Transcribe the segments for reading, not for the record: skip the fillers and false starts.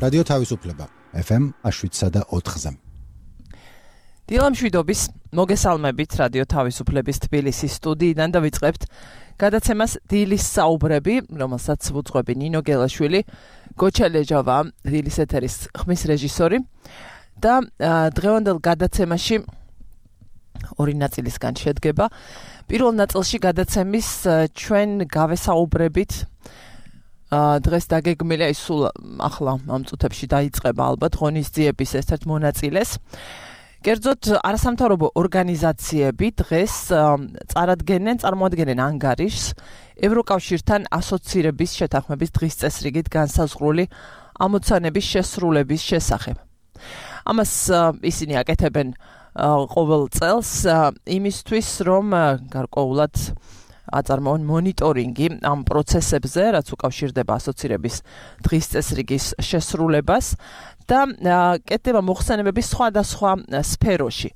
რადიო თავისუფლება FM 7.4-ზე. დილამშვიდობის მოგესალმებით რადიო თავისუფლების თბილისის სტუდიიდან და ვიწყებთ გადაცემას დილის საუბრები, რომელსაც ვუძღვები ნინო გელაშვილი, გოჩა ლეჯავა, დილის ეთერის ხმის რეჟისორი და დღევანდელ გადაცემაში ორი ნაწილისგან შედგება. პირველ ნაწილში გადაცემის ჩვენ გავესაუბრებით დღეს დაგეგმილია ის სულ ახლა ამ წუთებში დაიწყება ალბათ ღონისძიების ერთ-ერთ მონაწილეს. კერძოდ არასამთავრობო ორგანიზაციები დღეს წარმოადგენენ ანგარიშს ევროკავშირთან ასოცირების შეთანხმების დღის წესრიგით განსაზღვრული ამოცანების შესრულების შესახებ. ამას ისინი აკეთებენ ყოველ წელს იმისთვის, რომ გარკვეულად აწარმოონ მონიტორინგი ამ პროცესებზე, რაც უკავშირდება ასოცირების დღის წესრიგის შესრულებას და კეთდება მოხსენებების სხვადასხვა სფეროში.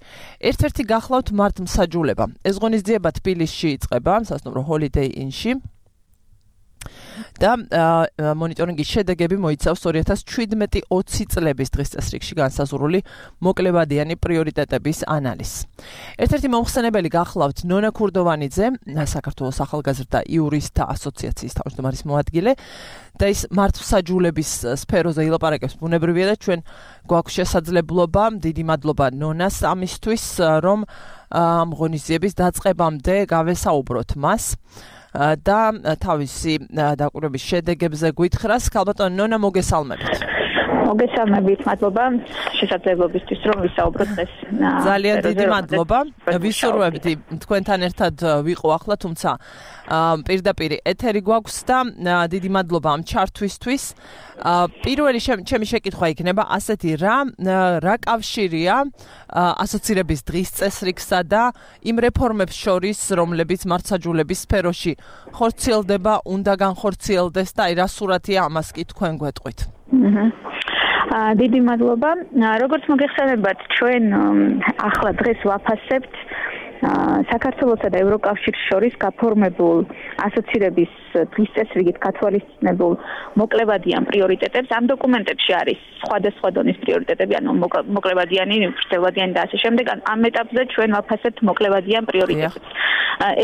ერთ-ერთი გახლავთ მართლმსაჯულება. ეს ღონისძიება თბილისში იწყება, სასტუმრო Holiday Inn-ში. და მონიტორინგის შედეგები მოიცავს 2017-20 წლების დღის წესრიგში განსაზღვრული მოკლებადიანი პრიორიტეტების ანალიზს. ერთ-ერთი მომხსენებელი გახლავთ ნონა ქურდოვანიძე, საქართველოს ახალგაზრდა იურისტთა ასოციაციის თავმჯდომარის მოადგილე და ის მართლმსაჯულების სფეროზე ილაპარაკებს ბუნებრივია და ჩვენ გვაქვს შესაძლებლობა, დიდი მადლობა ნონას ამისთვის, რომ ამ ღონისძიების დაწყებამდე გავესაუბროთ მას. და თავისი დაკვირვების შედეგებზე გვითხრას. ქალბატონო ნონა, მოგესალმებით. მოგესალმებით, მადლობა შესაძლებლობისთვის, რომ ვისაუბროთ ეს. ძალიან დიდი მადლობა. ვისურვებდი თქვენთან ერთად ვიყო ახლა, თუმცა პირდაპირ ეთერი გვაქვს და დიდი მადლობა ამ ჩართვისთვის. პირველი ჩემი შეკითხვა იქნება ასეთი, რა კავშირია ასოცირების დღის წესრიგსა და იმ რეფორმებს შორის, რომლებიც მართლმსაჯულების სფეროში ხორციელდება, უნდა განხორციელდეს და რა სურათია ამას კი თქვენ გვეტყვით. დიდი მადლობა. როგორც მოგეხსენებათ, ჩვენ ახლა დღეს ვაფასებთ საქართველოსა და ევროკავშირის შორის გაფორმებულ ასოცირების დღის წესრიგით გათვალისწინებულ მოკლებადიან პრიორიტეტებს. ამ დოკუმენტებში არის სხვადასხვა დონის პრიორიტეტები, ანუ მოკლებადიანი, ვრცელბადიანი და ასე შემდეგ. ამ ეტაპზე ჩვენ ვაფასებთ მოკლებადიან პრიორიტეტებს.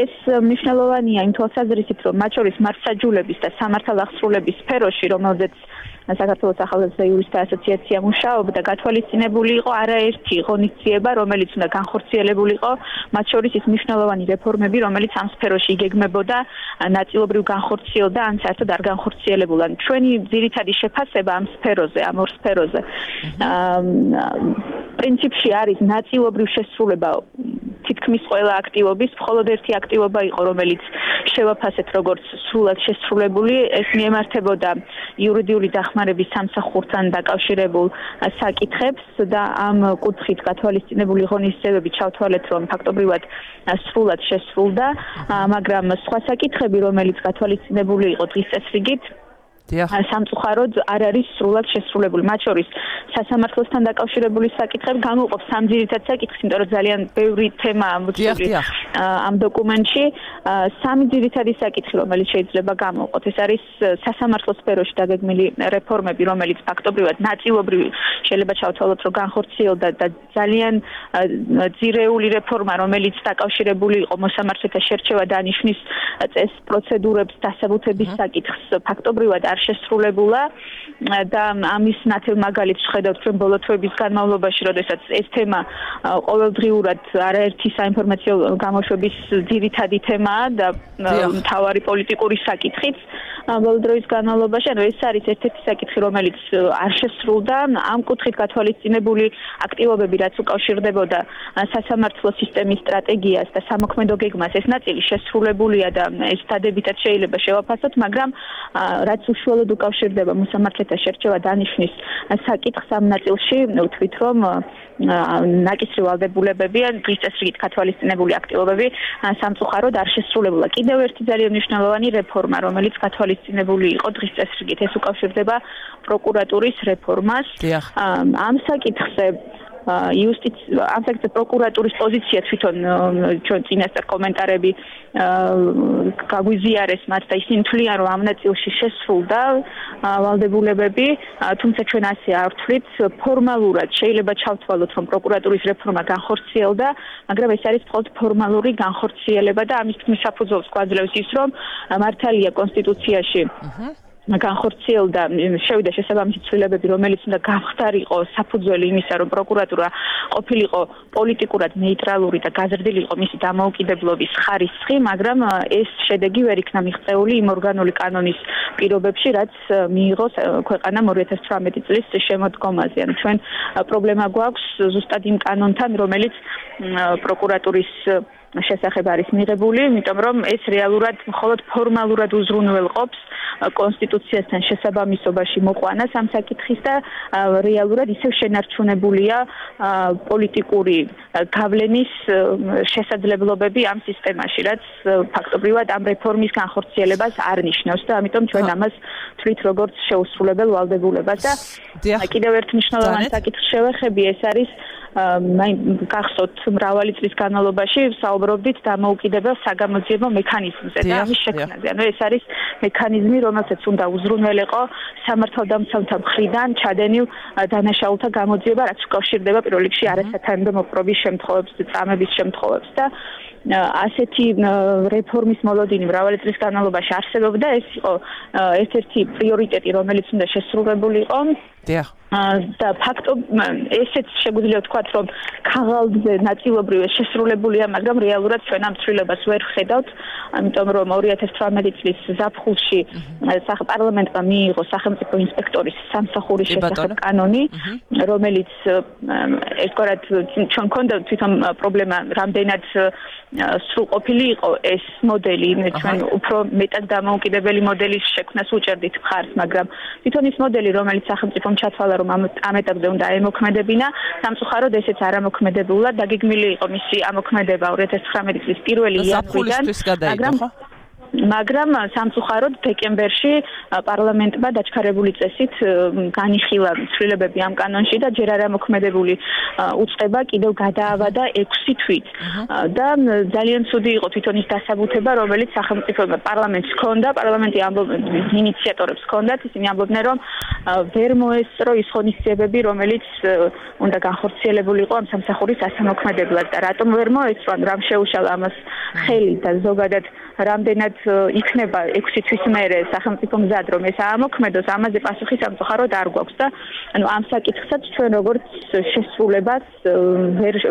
ეს მნიშვნელოვანია იმ თვალსაზრისით, რომ მათ შორის მართლმსაჯულების და სამართალახსრულების სფეროში, რომელზეც საქართველოს ახალგაზრდა იურისტთა ასოციაცია მუშაობდა, გათვალისწინებული იყო არაერთი ღონისძიება, რომელიც უნდა განხორციელებულიყო, მათ შორის ის მნიშვნელოვანი რეფორმები, რომელიც ამ სფეროში იგეგმებოდა, ნაწილობრივ განხორციელდა, ან საერთოდ არ განხორციელებულა. ჩვენი ძირითადი შეფასება ამ სფეროზე, ამ ორ სფეროზე, პრინციპში არის ნაწილობრივ შესრულება თითქმის ყველა აქტივობის, მხოლოდ ერთი აქტივობა იყო, რომელიც შევაფასეთ როგორც სრულად შესრულებული, ეს მიემართებოდა იურიდიული დახმარების სამსახურთან დაკავშირებულ საკითხებს და ამ კუთხით გათვალისწინებული ღონისძიებები ჩავთვალეთ, რომ ფაქტობრივად სრულად შესრულდა, მაგრამ სხვა საკითხები, რომელიც გათვალისწინებული იყო დღის წესრიგით, სამწუხაროდ არ არის სრულად შესრულებული. მათ შორის სასამართლოსთან დაკავშირებული საკითხები გამოყოფს სამ ძირითად საკითხს, იმიტომ რომ ძალიან ბევრი თემაა მოწყვეტილი ამ დოკუმენტში. სამი ძირითადი საკითხი, რომელიც შეიძლება გამოყოფოთ, ეს არის სასამართლოს სფეროში დაგეგმილი რეფორმები, რომელიც ფაქტობრივად ნაწილობრივ შეიძლება ჩავთვალოთ, რომ განხორციელდა და ძალიან ძირეული რეფორმა, რომელიც დაკავშირებული იყო მოსამართლეთა შერჩევა დანიშნის წესს, პროცედურებს, დასაბუთების საკითხს, ფაქტობრივად არ შესრულებულა და ამის ნათელ მაგალითს ვხედავთ ჩვენ ბოლო თვეების განმავლობაში, როდესაც ეს თემა ყოველდღიურად არაერთი საინფორმაციო გამოშვების ძირითადი თემაა და მთავარი პოლიტიკური საკითხიც ბოლო დროის განმავლობაში. ანუ ეს არის ერთ-ერთი საკითხი, რომელიც არ შესრულდა. ამ კუთხით გათვალისწინებული აქტივობები, რაც უკავშირდებოდა სასამართლო სისტემის სტრატეგიას და სამოქმედო გეგმას, ეს ნაწილი შესრულებულია და ეს დადებითად შეიძლება შევაფასოთ, მაგრამ რაც უშუალოდ უკავშირდება მოსამართლეთა შერჩევა დანიშნის საკითხს ამ ნაწილში, ვთქვით, რომ ნაკისრი ვალდებულებები ან დღის წესრიგით გათვალისწინებული აქტივობები სამწუხაროდ არ შესრულებულა. კიდევ ერთი ძალიან მნიშვნელოვანი რეფორმა, რომელიც გათვალისწინებული იყო დღის წესრიგით, ეს უკავშირდება პროკურატურის რეფორმას. ამ საკითხზე ამ საკითხზე პროკურატურის პოზიცია თვითონ ჩვენ წინასწარ კომენტარები გაგვიზიარეს მათ და ისინი თვლიან რომ ამ ნაწილში შესრულდა ვალდებულებები, თუმცა ჩვენ ასე არ ვთვლით, ფორმალურად შეიძლება ჩავთვალოთ რომ პროკურატურის რეფორმა განხორციელდა, მაგრამ ეს არის მხოლოდ ფორმალური განხორციელება და ამის თქმის საფუძველს გვაძლევს ის რომ მართალია კონსტიტუციაში განხორციელდა შევიდა შესაბამისი ცვლილებები, რომელიც უნდა გამხდარიყო საფუძველი იმისა, რომ პროკურატურა ყოფილიყო პოლიტიკურად ნეიტრალური და გაზრდილი იყო მისი დამოუკიდებლობის ხარისხი, მაგრამ ეს შედეგი ვერ იქნა მიღწეული იმ ორგანული კანონის პირობებში, რაც მიიღო ქვეყანამ 2018 წლის შემოდგომაზე. ანუ ჩვენ პრობლემა გვაქვს ზუსტად იმ კანონთან, რომელიც პროკურატურის შესახებ არის მიღებული, იმიტომ რომ ეს რეალურად მხოლოდ ფორმალურად უზრუნველყოფს კონსტიტუციასთან შესაბამისობაში მოყვანას ამ საკითხის და რეალურად ისევ შენარჩუნებულია პოლიტიკური გავლენის შესაძლებლობები ამ სისტემაში, რაც ფაქტობრივად ამ რეფორმის განხორციელებას არ ნიშნავს და ამიტომ ჩვენ ამას თვლით როგორც შეუსრულებელ ვალდებულებას და კიდევ ერთ მნიშვნელოვან საკითხს შევეხები, ეს არის გახსოვთ მრავალი წლის განმავლობაში საუბრობდით დამოუკიდებელ საგამოძიებო მექანიზმზე და ამის შექმნაზე. ანუ ეს არის მექანიზმი, რომელსაც უნდა უზრუნველყო სამართალდამცავთა მხრიდან ჩადენილ დანაშაულთა გამოძიება, რაც უკავშირდება პირველ რიგში არასათანადო მოპყრობის შემთხვევებს, წამების შემთხვევებს და ასეთი რეფორმის მოლოდინი მრავალი წლის განმავლობაში არსებობდა, ეს იყო ერთ-ერთი პრიორიტეტი, რომელიც უნდა შესრულებულიყო. და ესეც შეგვიძლია ვთქვათ, რომ ქაღალდზე ნაწილობრივ შესრულებულია, მაგრამ რეალურად ჩვენ ამ ცვლილებას ვერ ვხედავთ, ამიტომ რომ 2018 წლის ზაფხულში პარლამენტმა მიიღო სახელმწიფო ინსპექტორის სამსახურის შესახებ კანონი, რომელიც ერთგვარად ჩვენ გქონდა თვითონ პრობლემა, რამდენად სრულყოფილი იყო ეს მოდელი, ჩვენ უფრო მეტად დამოუკიდებელი მოდელის შექმნას უჭერდით მხარს, მაგრამ თვითონ ის მოდელი, რომელიც სახელმწიფომ ჩათვალა, რომ ამ ეტაპზე უნდა ემოქმედებინა, სამწუხაროდ ესეც არ ამოქმედებულა, დაგეგმილი იყო მისი ამოქმედება 2019 წლის 1 იანვრიდან, მაგრამ სამწუხაროდ დეკემბერში პარლამენტმა დაჩქარებული წესით განიხილა ცვლილებები ამ კანონში და ჯერ არ ამოქმედებული უწყება კიდევ გადაავადა 6 თვით და ძალიან ცუდი იყო თვითონ ის დასაბუთება, რომელიც სახელმწიფო პარლამენტს ჰქონდა, პარლამენტი ინიციატორებს ჰქონდათ, ისინი ამბობდნენ, რომ ვერ მოესწრო ის ღონისძიებები, რომელიც უნდა განხორციელებულიყო ამ სამსახურის ასამოქმედებლად და რატომ ვერ მოესწრო, რამ შეუშალა ამას ხელი და ზოგადად რამდენად იქნება 6 თვის მერე სახელმწიფო მზად რომ ეს ამოქმედოს, ამაზე პასუხი სამწუხაროდ არ გვაქვს და ანუ ამ საკითხსაც ჩვენ როგორც შესრულებას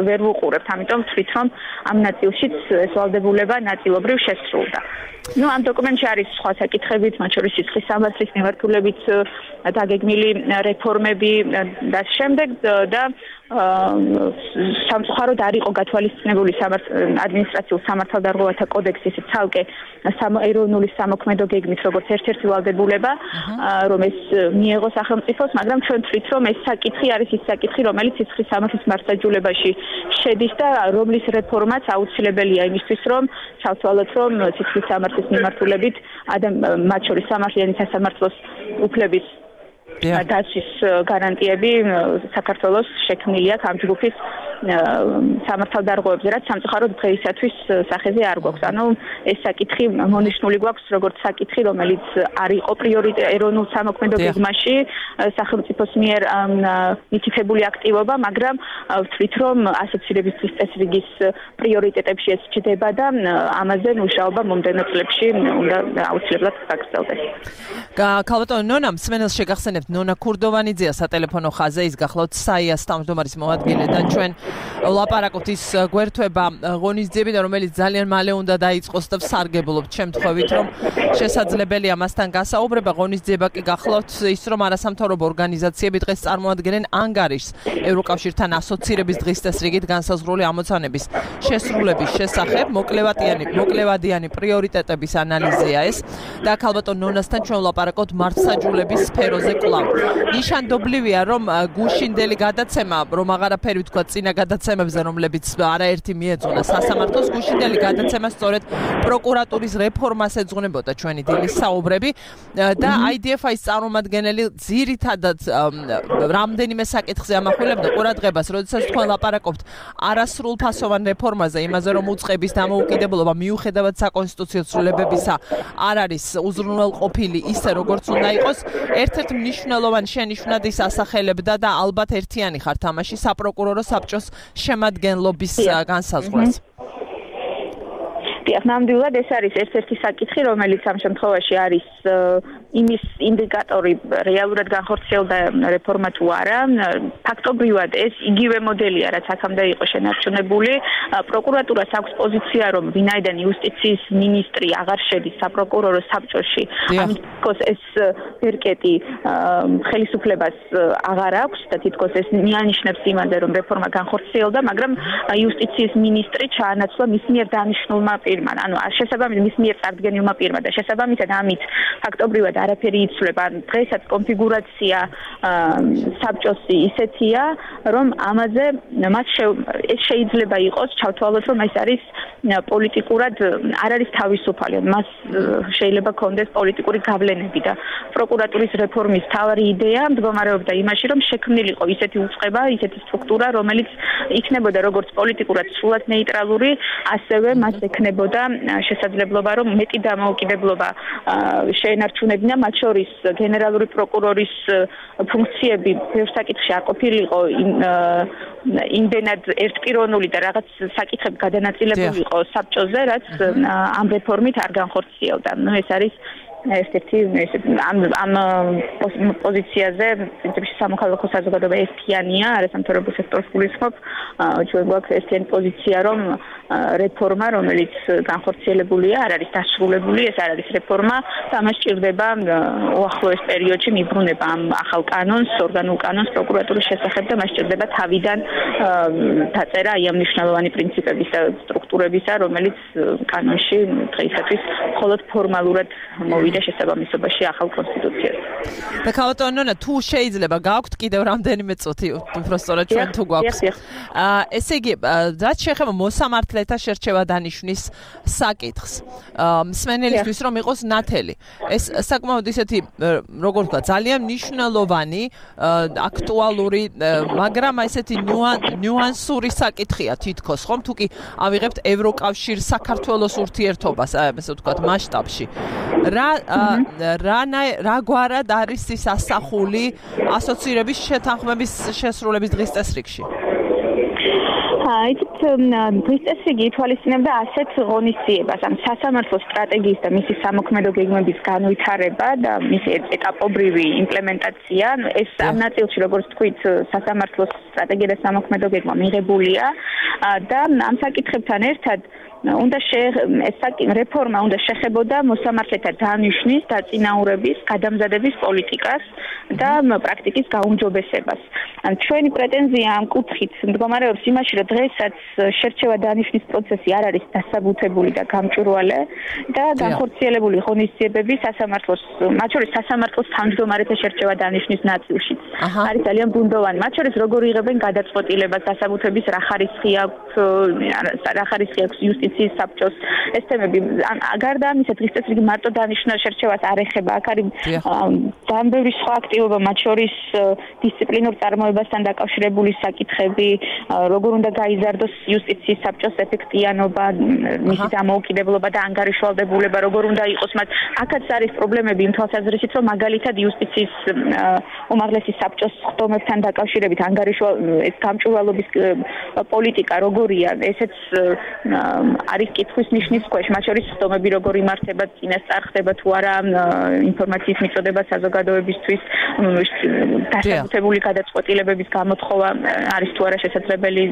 ვერ ვუყურებთ, ამიტომ ვთვლით რომ ამ ნაწილშიც ეს ვალდებულება ნაწილობრივ შესრულდა. ამ დოკუმენტში არის სხვა საკითხებიც, მათ შორის სიცხის სამართლის მიმართულებით დაგეგმილი რეფორმები და შემდეგ და სამწუხაროდ არ იყო გათვალისწინებული ადმინისტრაციულ სამართალდარღვევათა კოდექსი, ეს ცალკე ეროვნული სამოქმედო გეგმით როგორც ერთ-ერთი ვალდებულება, რომ ეს მიეღო სახელმწიფოს, მაგრამ ჩვენ ვთვლით, რომ ეს საკითხი არის ის საკითხი, რომელიც სიცხის სამართლის მართლმსაჯულებაში შედის და რომლის რეფორმაც აუცილებელია იმისთვის, რომ ჩავთვალოთ, რომ სიცხის სამართლის მიმართულებით მათ შორის სამართლიანი სასამართლოს უფლების დაცვის გარანტიები საქართველოს შექმნილია ამ ჯგუფის სამართალდარღვევებზე, რაც სამწუხაროდ დღეისათვის სახეზე არ გვაქვს. ანუ ეს საკითხი მონიშნული გვაქვს როგორც საკითხი, რომელიც არ იყო პრიორიტეტი ეროვნულ სამოქმედო გეგმაში სახელმწიფოს მიერ მითითებული აქტივობა, მაგრამ ვთვლით, რომ ასოცირების წესრიგის პრიორიტეტებში ეს ჩდება და ამაზე მუშაობა მომდევნო წლებში უნდა აუცილებლად გაგრძელდეს. ქალბატონო ნონა, მსმენელს შეგახსენებთ ნონა ქურდოვანიძეა სატელეფონო ხაზზე, ის გახლავთ საიას თავმჯდომარის მოადგილე და ჩვენ ვლაპარაკობთ ის გვერდება ღონისძიებიდან, რომელიც ძალიან მალე უნდა დაიწყოს და ვსარგებლობთ შემთხვევით, რომ შესაძლებელია მასთან გასაუბრება. ღონისძიება კი გახლავთ ის, რომ არასამთავრობო ორგანიზაციები დღეს წარმოადგენენ ანგარიშს ევროკავშირთან ასოცირების დღის წესრიგით განსაზღვრული ამოცანების შესრულების შესახებ. მოკლევადიანი პრიორიტეტების ანალიზია ეს და ქალბატონ ნონასთან ჩვენ ვლაპარაკობთ მართლმსაჯულების სფეროზე კვლავ. ნიშანდობლივია, რომ გუშინდელი გადაცემა, რომ აღარაფერი ვთქვა წინა გადაცემებზე, რომლებიც არაერთი მიეძღვნა სასამართლოს, გუშინდელი გადაცემა სწორედ პროკურატურის რეფორმას ეძღვნებოდა ჩვენი დილის საუბრები და IDF-ის წარმომადგენელი ძირითადად რამდენიმე საკითხზე ამახვილებდა ყურადღებას, როდესაც თქვენ ლაპარაკობთ არასრულ ფასოვან რეფორმაზე, იმაზე რომ უწყების დამოუკიდებლობა მიუხედავად საკონსტიტუციო ცვლილებებისა არ არის უზრუნველყოფილი ისე როგორც უნდა იყოს. ერთ-ერთი მნიშვნელოვანი შენიშვნად ის ასახელებდა და ალბათ ერთიანი ხართ ამაში საპროკურორო საბჭოს შემადგენლობის განსაზღვრას. ნამდვილად ეს არის ერთ-ერთი საკითხი, რომელიც ამ შემთხვევაში არის იმის ინდიკატორი რეალურად განხორციელდა რეფორმა თუ არა. ფაქტობრივად ეს იგივე მოდელია, რაც აქამდე იყო შენარჩუნებული. პროკურატურას აქვს პოზიცია, რომ ვინაიდან იუსტიციის მინისტრი აღარ შედის საპროკურორო საბჭოში, ამიტომ ეს პირკეტი ხელისუფლებას აღარ აქვს და თითქოს ეს მიანიშნებს იმაზე, რომ რეფორმა განხორციელდა, მაგრამ იუსტიციის მინისტრი ჩაანაცვლა მის მიერ დანიშნულმა პირმა. ანუ შესაბამისად მის მიერ წარდგენილმა პირმა და შესაბამისად ამით ფაქტობრივად არაფერი იცვლება. დღესაც კონფიგურაცია საბჭოს ისეთია, რომ ამაზე მას ეს შეიძლება იყოს ჩავთვალოთ, რომ ეს არის პოლიტიკურად არ არის თავისუფალი. მას შეიძლება კონდეს პოლიტიკური გავლენები და პროკურატურის რეფორმის თავარი იდეა მდგომარეობდა იმაში, რომ შექმნილიყო ისეთი უწყება, ისეთი სტრუქტურა, რომელიც იქნებოდა როგორც პოლიტიკურად სრულად ნეიტრალური, ასევე მას ექნებოდა შესაძლებლობა, რომ მეტი დამოუკიდებლობა შეენარჩუნებინა, მათ შორის გენერალური პროკურორის ფუნქციები ბევრ საკითხში არ ყოფილიყო იმდენად ერთპიროვნული და რაღაც საკითხები გადანაწილებული იყო საბჭოზე, რაც ამ რეფორმით არ განხორციელდა. ეს არის ერთ-ერთი ამ პოზიციაზე პრინციპში სამოქალაქო საზოგადოება ერთიანია, არასამთავრობო სექტორს გულისხმობ, ჩვენ გვაქვს ერთიანი პოზიცია, რომ რეფორმა, რომელიც განხორციელებულია, არ არის დასრულებული, ეს არ არის რეფორმა და ამას სჭირდება უახლოეს პერიოდში მიბრუნება ამ ახალ კანონს, ორგანულ კანონს პროკურატურის შესახებ და მას სჭირდება თავიდან დაწერა აი ამ მნიშვნელოვანი პრინციპების და სტრუქტურებისა, რომელიც კანონში დღეისათვის მხოლოდ ფორმალურად მოვიდა შესაბამისობაში ახალ კონსტიტუციას. და ქალბატონო, თუ შეიძლება გაქვთ კიდევ რამდენიმე წუთი, უფრო სწორად ჩვენ თუ გვაქვს. ესე იგი, რაც შეეხება მოსამართლეთა შერჩევა დანიშვნის საკითხს, მსმენელისთვის რომ იყოს ნათელი. ეს საკმაოდ ისეთი, როგორ ვთქვა, ძალიან მნიშვნელოვანი, აქტუალური, მაგრამ ესეთი ნიუანსური საკითხია თითქოს, ხომ? თუ კი ავიღებთ ევროკავშირს საქართველოს ურთიერთობას, ესე ვთქვათ, მასშტაბში. რა გვარად არის ის ასახული ასოცირების შეთანხმების შესრულების დღის წესრიგში? იცით, დღის წესრიგი ითვალისწინებდა ასეთ ღონისძიებას, ამ სასამართლო სტრატეგიის და მისი სამოქმედო გეგმების განვითარება და მისი ეტაპობრივი იმპლემენტაცია. ეს ამ ნაწილში, როგორც თქვით, სასამართლოს სტრატეგია და სამოქმედო გეგმა მიღებულია და ამ საკითხებთან ერთად რეფორმა უნდა შეხებოდა მოსამართლეთა დანიშვნის, დაწინაურების, გადამზადების პოლიტიკას და პრაქტიკის გაუმჯობესებას. ჩვენი პრეტენზია ამ კუთხით მდგომარეობს იმაში, რომ დღესაც შერჩევა დანიშვნის პროცესი არ არის დასაბუთებული და გამჭვირვალე და განხორციელებული ღონისძიებები სასამართლოს, მათ შორის სასამართლოს თავმჯდომარეთა შერჩევა დანიშვნის ნაწილშიც არის ძალიან ბუნდოვანი. მათ შორის როგორ იღებენ გადაწყვეტილებას დასაბუთების რა ხარისხი აქვს იუსტიციის საბჭოს ეს თემები. გარდა ამისა, დღის წესრიგი მარტო დანიშნულ შერჩევას არ ეხება. აქ არის ძალიან ბევრი სხვა აქტივობა, მათ შორის დისციპლინურ წარმოებასთან დაკავშირებული საკითხები, როგორ უნდა გაიზარდოს იუსტიციის საბჭოს ეფექტიანობა, მისი დამოუკიდებლობა და ანგარიშვალდებულება, როგორ უნდა იყოს მათ. აქაც არის პრობლემები იმ თვალსაზრისით, რომ მაგალითად იუსტიციის უმაღლესი საბჭოს ხდომებთან დაკავშირებით ეს გამჭვირვალობის პოლიტიკა როგორია, ესეც არის კითხვის ნიშნის ქვეშ, მათ შორის ხდომები როგორ იმართება, წინასწარ ხდება თუ არა ინფორმაციის მიწოდება საზოგადოებისთვის, დასაბუთებული გადაწყვეტილებების გამოთხოვა არის თუ არა შესაძლებელი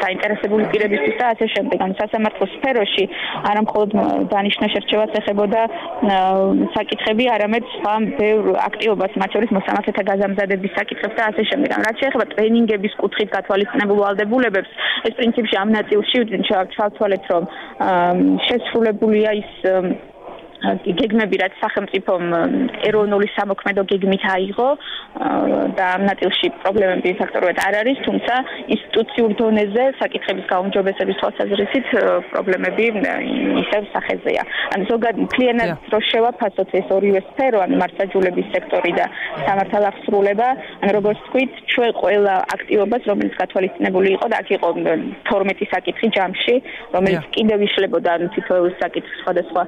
საინტერესებული პირებისთვის და ასე შემდეგ. ან სასამართლოს სფეროში არა მხოლოდ დანიშნა შერჩევას ეხებოდა საკითხები, არამედ სხვა ბევრ აქტივობას, მათ შორის მოსამართლეთა გაზამზადების საკითხებს და ასე შემდეგ. რაც შეეხება ტრენინგების კუთხით გათვალისწინებულ ვალდებულებებს, ეს პრინციპში ამ ნაწილში ჩავთვალეთ, რომ შესრულებულია ის გეგმები რაც სახელმწიფომ ეროვნული სამოქმედო გეგმით აიღო და ამ ნაწილში პრობლემები ფაქტორულად არ არის, თუმცა ინსტიტუციურ დონეზე საკითხების გაუმჯობესების თვალსაზრისით პრობლემები ისევ სახეზეა. ან ზოგადად მთლიანად რო შევაფასოთ ეს ორივე სფერო, ან მართლმსაჯულების სექტორი და სამართალახსრულება, ან როგორც თქვით, ჩვენ ყველა აქტივობას, რომელიც გათვალისწინებული იყო და აქ იყო 12 საკითხი ჯამში, რომელიც კიდევ იშლებოდა თითოეულ საკითხს სხვადასხვა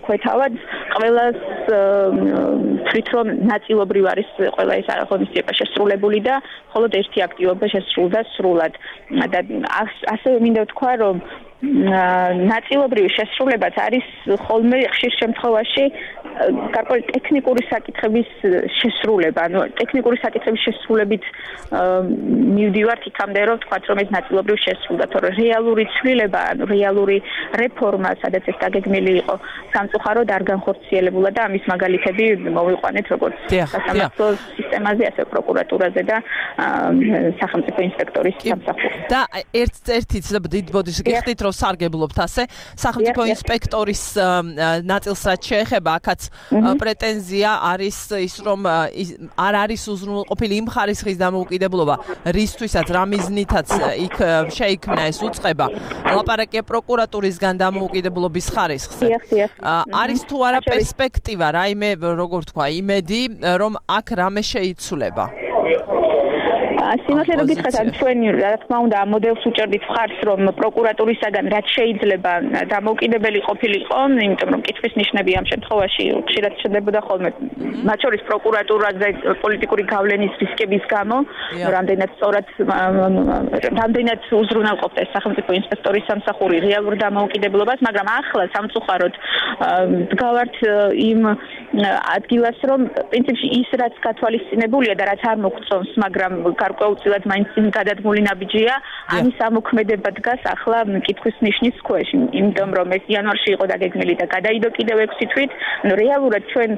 ქვეთავად, ყველას თვით რომ ნაწილობრივ არის ყველა ეს ღონისძიება შესრულებული და მხოლოდ ერთი აქტივობა შესრულდა სრულად. და ასევე მინდა ვთქვა, რომ ნაწილობრივი შესრულებაც არის ხოლმე ხშირ შემთხვევაში გარკვეული ტექნიკური საკითხების შესრულება. ანუ ტექნიკური საკითხების შესრულებით მივდივართ იქამდე, რომ ვთქვათ, რომ ეს ნაწილობრივ შესრულდა, თორე რეალური ცვლილება, ანუ რეალური რეფორმა, სადაც ეს დაგეგმილი იყო, სამწუხაროდ არ განხორციელებულა და ამის მაგალითები მოვიყვანეთ როგორც სასამართლო სისტემაზე, ასევე პროკურატურაზე და სახელმწიფო ინსპექტორის სამსახურში. და ერთ-ერთი დიდ ბოდიშს გიხდით, რომ სარგებლობთ ასე სახელმწიფო ინსპექტორის ნაწილს რაც შეეხება, აქაც პრეტენზია არის ის, რომ არ არის უზრუნველყოფილი იმ ხარისხის დამოუკიდებლობა, რისთვისაც რა მიზნითაც იქ შეიქმნა ეს უწყება, ლაპარაკია პროკურატურისგან დამოუკიდებლობის ხარისხზე. არის თუ არა პერსპექტივა, რაიმე როგორ თქვა, იმედი, რომ აქ რამე შეიცვლება? სიმართლე რომ გითხრათ, ჩვენ რა თქმა უნდა ამ მოდელს უჭერდით მხარს, რომ პროკურატურისაგან რაც შეიძლება დამოუკიდებელი ყოფილიყო, იმიტომ რომ კითხვის ნიშნები ამ შემთხვევაში ხშირად შენდებოდა ხოლმე, მათ შორის პროკურატურაზე პოლიტიკური გავლენის რისკების გამო, რამდენად სწორად რამდენად უზრუნველყოფდა ეს სახელმწიფო ინსპექტორის სამსახური რეალურ დამოუკიდებლობას, მაგრამ ახლა სამწუხაროდ დგავართ იმ ადგილას, რომ პრინციპში ის რაც გათვალისწინებულია და რაც არ მოგწონს, მაგრამ გარკვეულწილად მაინც გადადგმული ნაბიჯია, ამის ამოქმედება დგას ახლა კითხვის ნიშნის ქვეშ, იმიტომ რომ ეს იანვარში იყო დაგეგმილი და გადაიდო კიდევ 6 თვით. რეალურად ჩვენ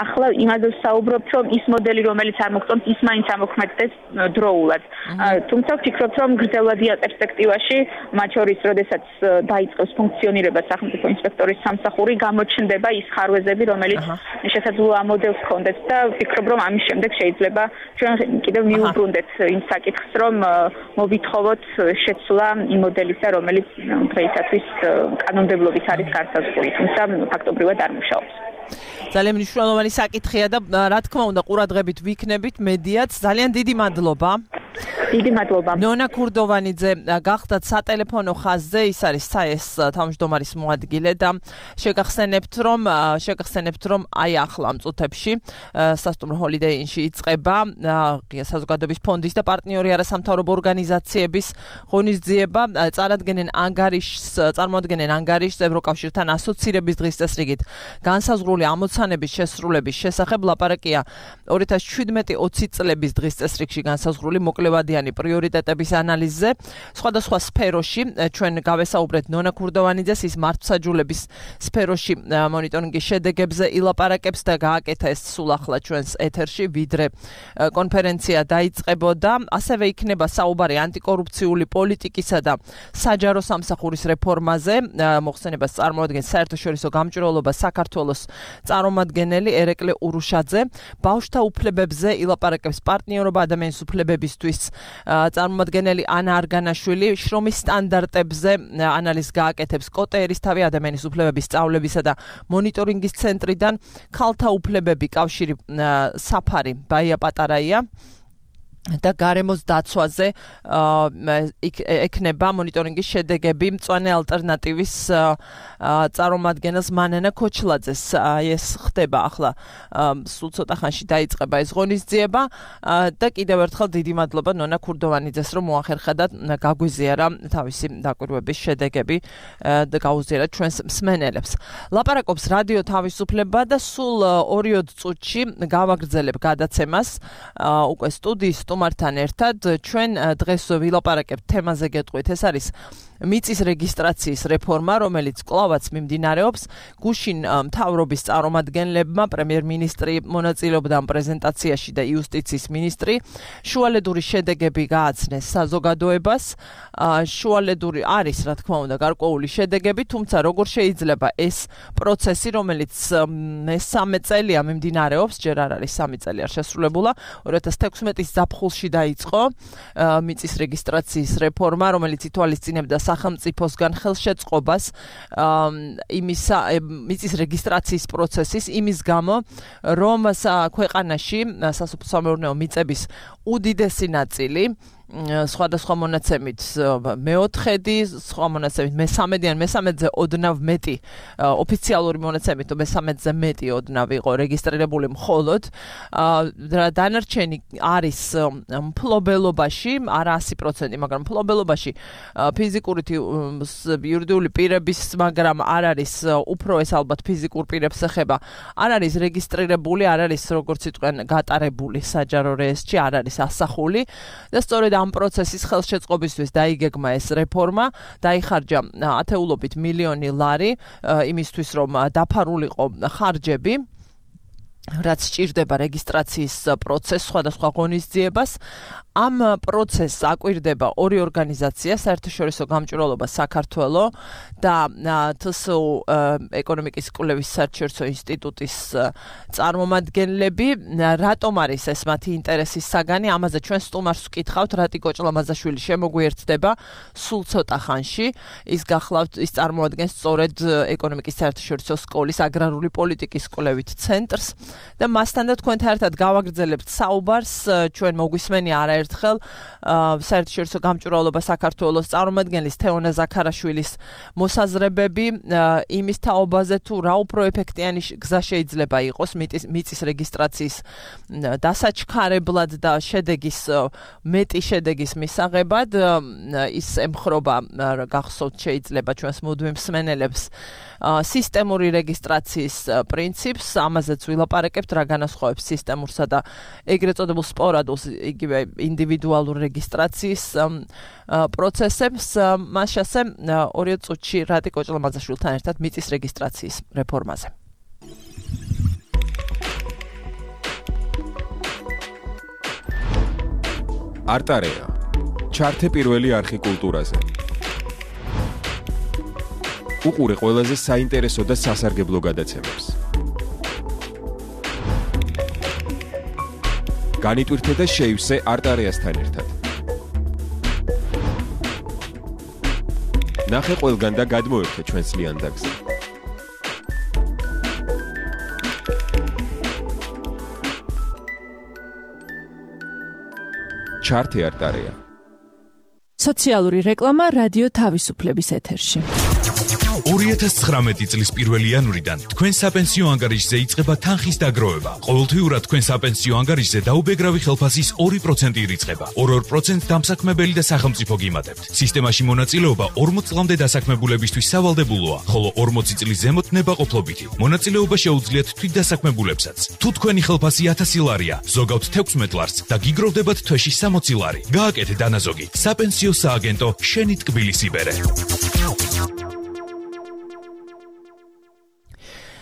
ახლა იმაზე ვსაუბრობთ, რომ ის მოდელი, რომელიც არ მოგწონს, ის მაინც ამოქმედდეს დროულად. თუმცა ვფიქრობ, რომ გრძელვადია პერსპექტივაში, მათ შორის, როდესაც დაიწყოს ფუნქციონირება სახელმწიფო ინსპექტორის სამსახური, გამოჩნდება ის ხარვეზები, რომელიც შესაძლოა ამ მოდელს ჰქონდეთ და ვფიქრობ, რომ ამის შემდეგ შეიძლება ჩვენ კიდევ მიუბრუნდეთ იმ საკითხს, რომ მოვითხოვოთ შეცვლა იმ მოდელისა, რომელიც დღეისათვის კანონმდებლობით არის განსაზღვრული, თუმცა ფაქტობრივად არ მუშაობს. ძალიან მნიშვნელოვანი საკითხია და რა თქმა უნდა ყურადღებით ვიქნებით მედიაც. ძალიან დიდი მადლობა. დიდი მადლობა. ნონა ქურდოვანიძე გახდათ სატელეფონო ხაზზე, ის არის საეს თავმჯდომარის მოადგილე და შეგახსენებთ, რომ აი ახლა ამ წუთებში სასტუმრო Holiday Inn-ში იწყება საზოგადოების ფონდის და პარტნიორი არასამთავრობო ორგანიზაციების ღონისძიება. წარმოადგენენ ანგარიშს ევროკავშირთან ასოცირების დღის წესრიგით განსაზღვრული ამოცანების შესრულების შესახებ. ლაპარაკია 2017-20 წლების დღის წესრიგში განსაზღვრული მოკლევადიანი პრიორიტეტების ანალიზზე. სხვადასხვა სფეროში ჩვენ გავესაუბრეთ ნონა ქურდოვანიძეს, ის მართლმსაჯულების სფეროში მონიტორინგის შედეგებზე ილაპარაკებს და გააკეთა ეს სულ ახლა ჩვენს ეთერში, ვიდრე კონფერენცია დაიწყებოდა. ასევე იქნება საუბარი ანტიკორუფციული პოლიტიკისა და საჯარო სამსახურის რეფორმაზე. მოხსენებას წარმოადგენს საერთაშორისო გამჭვირვალობა საქართველოს წარმომადგენელი ერეკლე ურუშაძე. ბავშვთა უფლებებზე ილაპარაკებს პარტნიორობა ადამიანის უფლებებისთვის წარმომადგენელი ანა არგანაშვილი. შრომის სტანდარტებზე ანალიზს გააკეთებს კოტე ერისთავი ადამიანის უფლებების სწავლებისა და მონიტორინგის ცენტრიდან. ქალთა უფლებები კავშირი საფარი ბაია პატარაია და გარემოს დაცვაზე ექნება მონიტორინგის შედეგები მწვანე ალტერნატივის წარმომადგენელს მანანა ქოჩლაძეს. ეს ხდება ახლა სულ ცოტა ხანში დაიწყება ეს ღონისძიება და კიდევ ერთხელ დიდი მადლობა ნონა ქურდოვანიძეს, რომ მოახერხა და გაგვიზიარა თავისი დაკვირვების შედეგები და გაუზიარა ჩვენს მსმენელებს. ლაპარაკობს რადიო თავისუფლება და სულ 2 წუთში გავაგრძელებ გადაცემას უკვე სტუდიის სტუმართან ერთად. ჩვენ დღეს ვილაპარაკებთ თემაზე გეტყვით, ეს არის მიწის რეგისტრაციის რეფორმა, რომელიც კვლავაც მიმდინარეობს. გუშინ მთავრობის წარმომადგენლებმა პრემიერ-მინისტრი მონაწილეობდა ამ პრეზენტაციაში და იუსტიციის მინისტრი შუალედური შედეგები გააცნეს საზოგადოებას. შუალედური არის, რა თქმა უნდა, გარკვეული შედეგები, თუმცა როგორ შეიძლება ეს პროცესი, რომელიც მესამე წელია მიმდინარეობს, ჯერ არ არის 3 წელი არ შესრულებულა, 2016 ზაფხულში დაიწყო მიწის რეგისტრაციის რეფორმა, რომელიც ითვალისწინებდა სახელმწიფოსგან ხელშეწყობას მიწის რეგისტრაციის პროცესის იმის გამო, რომ ქვეყანაში სასოფლო-სამეურნეო მიწების უდიდესი ნაწილი სხვადასხვა მონაცემით მეოთხედი, სხვა მონაცემით მესამედი ან მესამედზე ოდნავ მეტი ოფიციალური მონაცემით მესამედზე მეტი ოდნავ იყო რეგისტრირებული მხოლოდ დანარჩენი არის მფლობელობაში, არა 100%, მაგრამ მფლობელობაში ფიზიკური იურიდიული პირების, მაგრამ არ არის უფრო ეს ალბათ ფიზიკურ პირებს ეხება, არ არის რეგისტრირებული, არ არის როგორც იტყვიან გატარებული საჯარო რეესტრში, არ არის ასახული და სწორედ ამ პროცესის ხელშეწყობისთვის დაიგეგმა ეს რეფორმა, დაიხარჯა ათეულობით მილიონი ლარი იმისთვის, რომ დაფარულიყო ხარჯები, რაც სჭირდება რეგისტრაციის პროცესს სხვადასხვა ღონისძიებას. ამ პროცესს აკვირდება ორი ორგანიზაცია, საერთაშორისო გამჭვირვალობა საქართველო და თსუ ეკონომიკის კვლევის საერთაშორისო ინსტიტუტის წარმომადგენლები. რატომ არის ეს მათი ინტერესის საგანი? ამაზე ჩვენ სტუმარს ვკითხავთ, რატიკო ჭლამაზაშვილი შემოგვიერთდება სულ ცოტა ხანში. ის გახლავთ, ის წარმოადგენს სწორედ ეკონომიკის საერთაშორისო სკოლის აგრარული პოლიტიკის კვლევით ცენტრს და მასთან და თქვენთან ერთად გავაგრძელებთ საუბარს. ჩვენ მოგვისმენია არაერთხელ საერთაშორისო გამჭვირვალობა საქართველოს წარმომადგენლის თეონა ზაქარაშვილის მოსაზრებები იმის თაობაზე, თუ რა უფრო ეფექტიანი გზა შეიძლება იყოს მიწის რეგისტრაციის დასაჩქარებლად და მეტი შედეგის მისაღებად. ის ემხრობა, გახსოვთ შეიძლება ჩვენს მუდმივ მსმენელებს, სისტემური რეგისტრაციის პრინციპს, ამაზეც ვილაპარაკებთ, რა განასხვავებს სისტემურსა და ეგრეთ წოდებულ სპორადულს, იგივე ინდივიდუალურ რეგისტრაციის პროცესებს. მას შესე 2 წუთში რატიკო ჭლამაზაშვილთან ერთად მიწის რეგისტრაციის რეფორმაზე. არტარეა. ჩართე პირველი არხი კულტურაზე. უყურე ყველაზე საინტერესო და სასარგებლო გადაცემებს. განიტვირთე და შეივსე არტარეასთან ერთად. ნახე ყველგან და გადმოერთე ჩვენს ლიანდაგზე. ჩართე არტარეა. სოციალური რეკლამა რადიო თავისუფლების ეთერში. 2019 წლის 1 იანვრიდან თქვენ საპენსიო ანგარიშზე იწყება თანხის დაგროვება. ყოველთვიურად თქვენ საპენსიო ანგარიშზე დაუბეგრავი ხელფასის 2% ირიცხება. 2% დამსაქმებელი და სახელმწიფო გიმატებთ. სისტემაში მონაწილეობა 40 წლამდე დასაქმებულებისთვის სავალდებულოა, ხოლო 40 წლის ზემოთ ნებაყოფლობითი. მონაწილეობა შეუძლიათ თვითდასაქმებულებსაც. თუ თქვენი ხელფასი 1000 ლარია, ზოგავთ 16 ლარს და გიგროვდებათ თვეში 60 ლარი. გააკეთე დანაზოგი. საპენსიო სააგენტო შენი ტკბილის იბერე.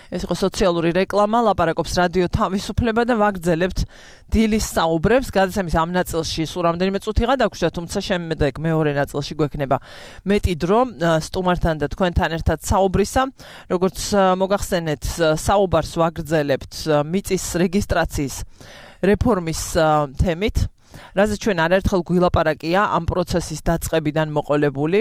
ეს იყო სოციალური რეკლამა, ლაპარაკობს რადიო თავისუფლება და ვაგრძელებთ დილის საუბრებს. გადაცემის ამ ნაწილში სულ რამდენიმე წუთი გადაგვჭირდა, თუმცა შემდეგ მეორე ნაწილში გვექნება მეტი დრო სტუმართან და თქვენთან ერთად საუბრისა. როგორც მოგახსენეთ, საუბარს ვაგრძელებთ მიწის რეგისტრაციის რეფორმის თემით. რაზეც ჩვენ არაერთხელ გვილაპარაკია ამ პროცესის დაწყებიდან მოყოლებული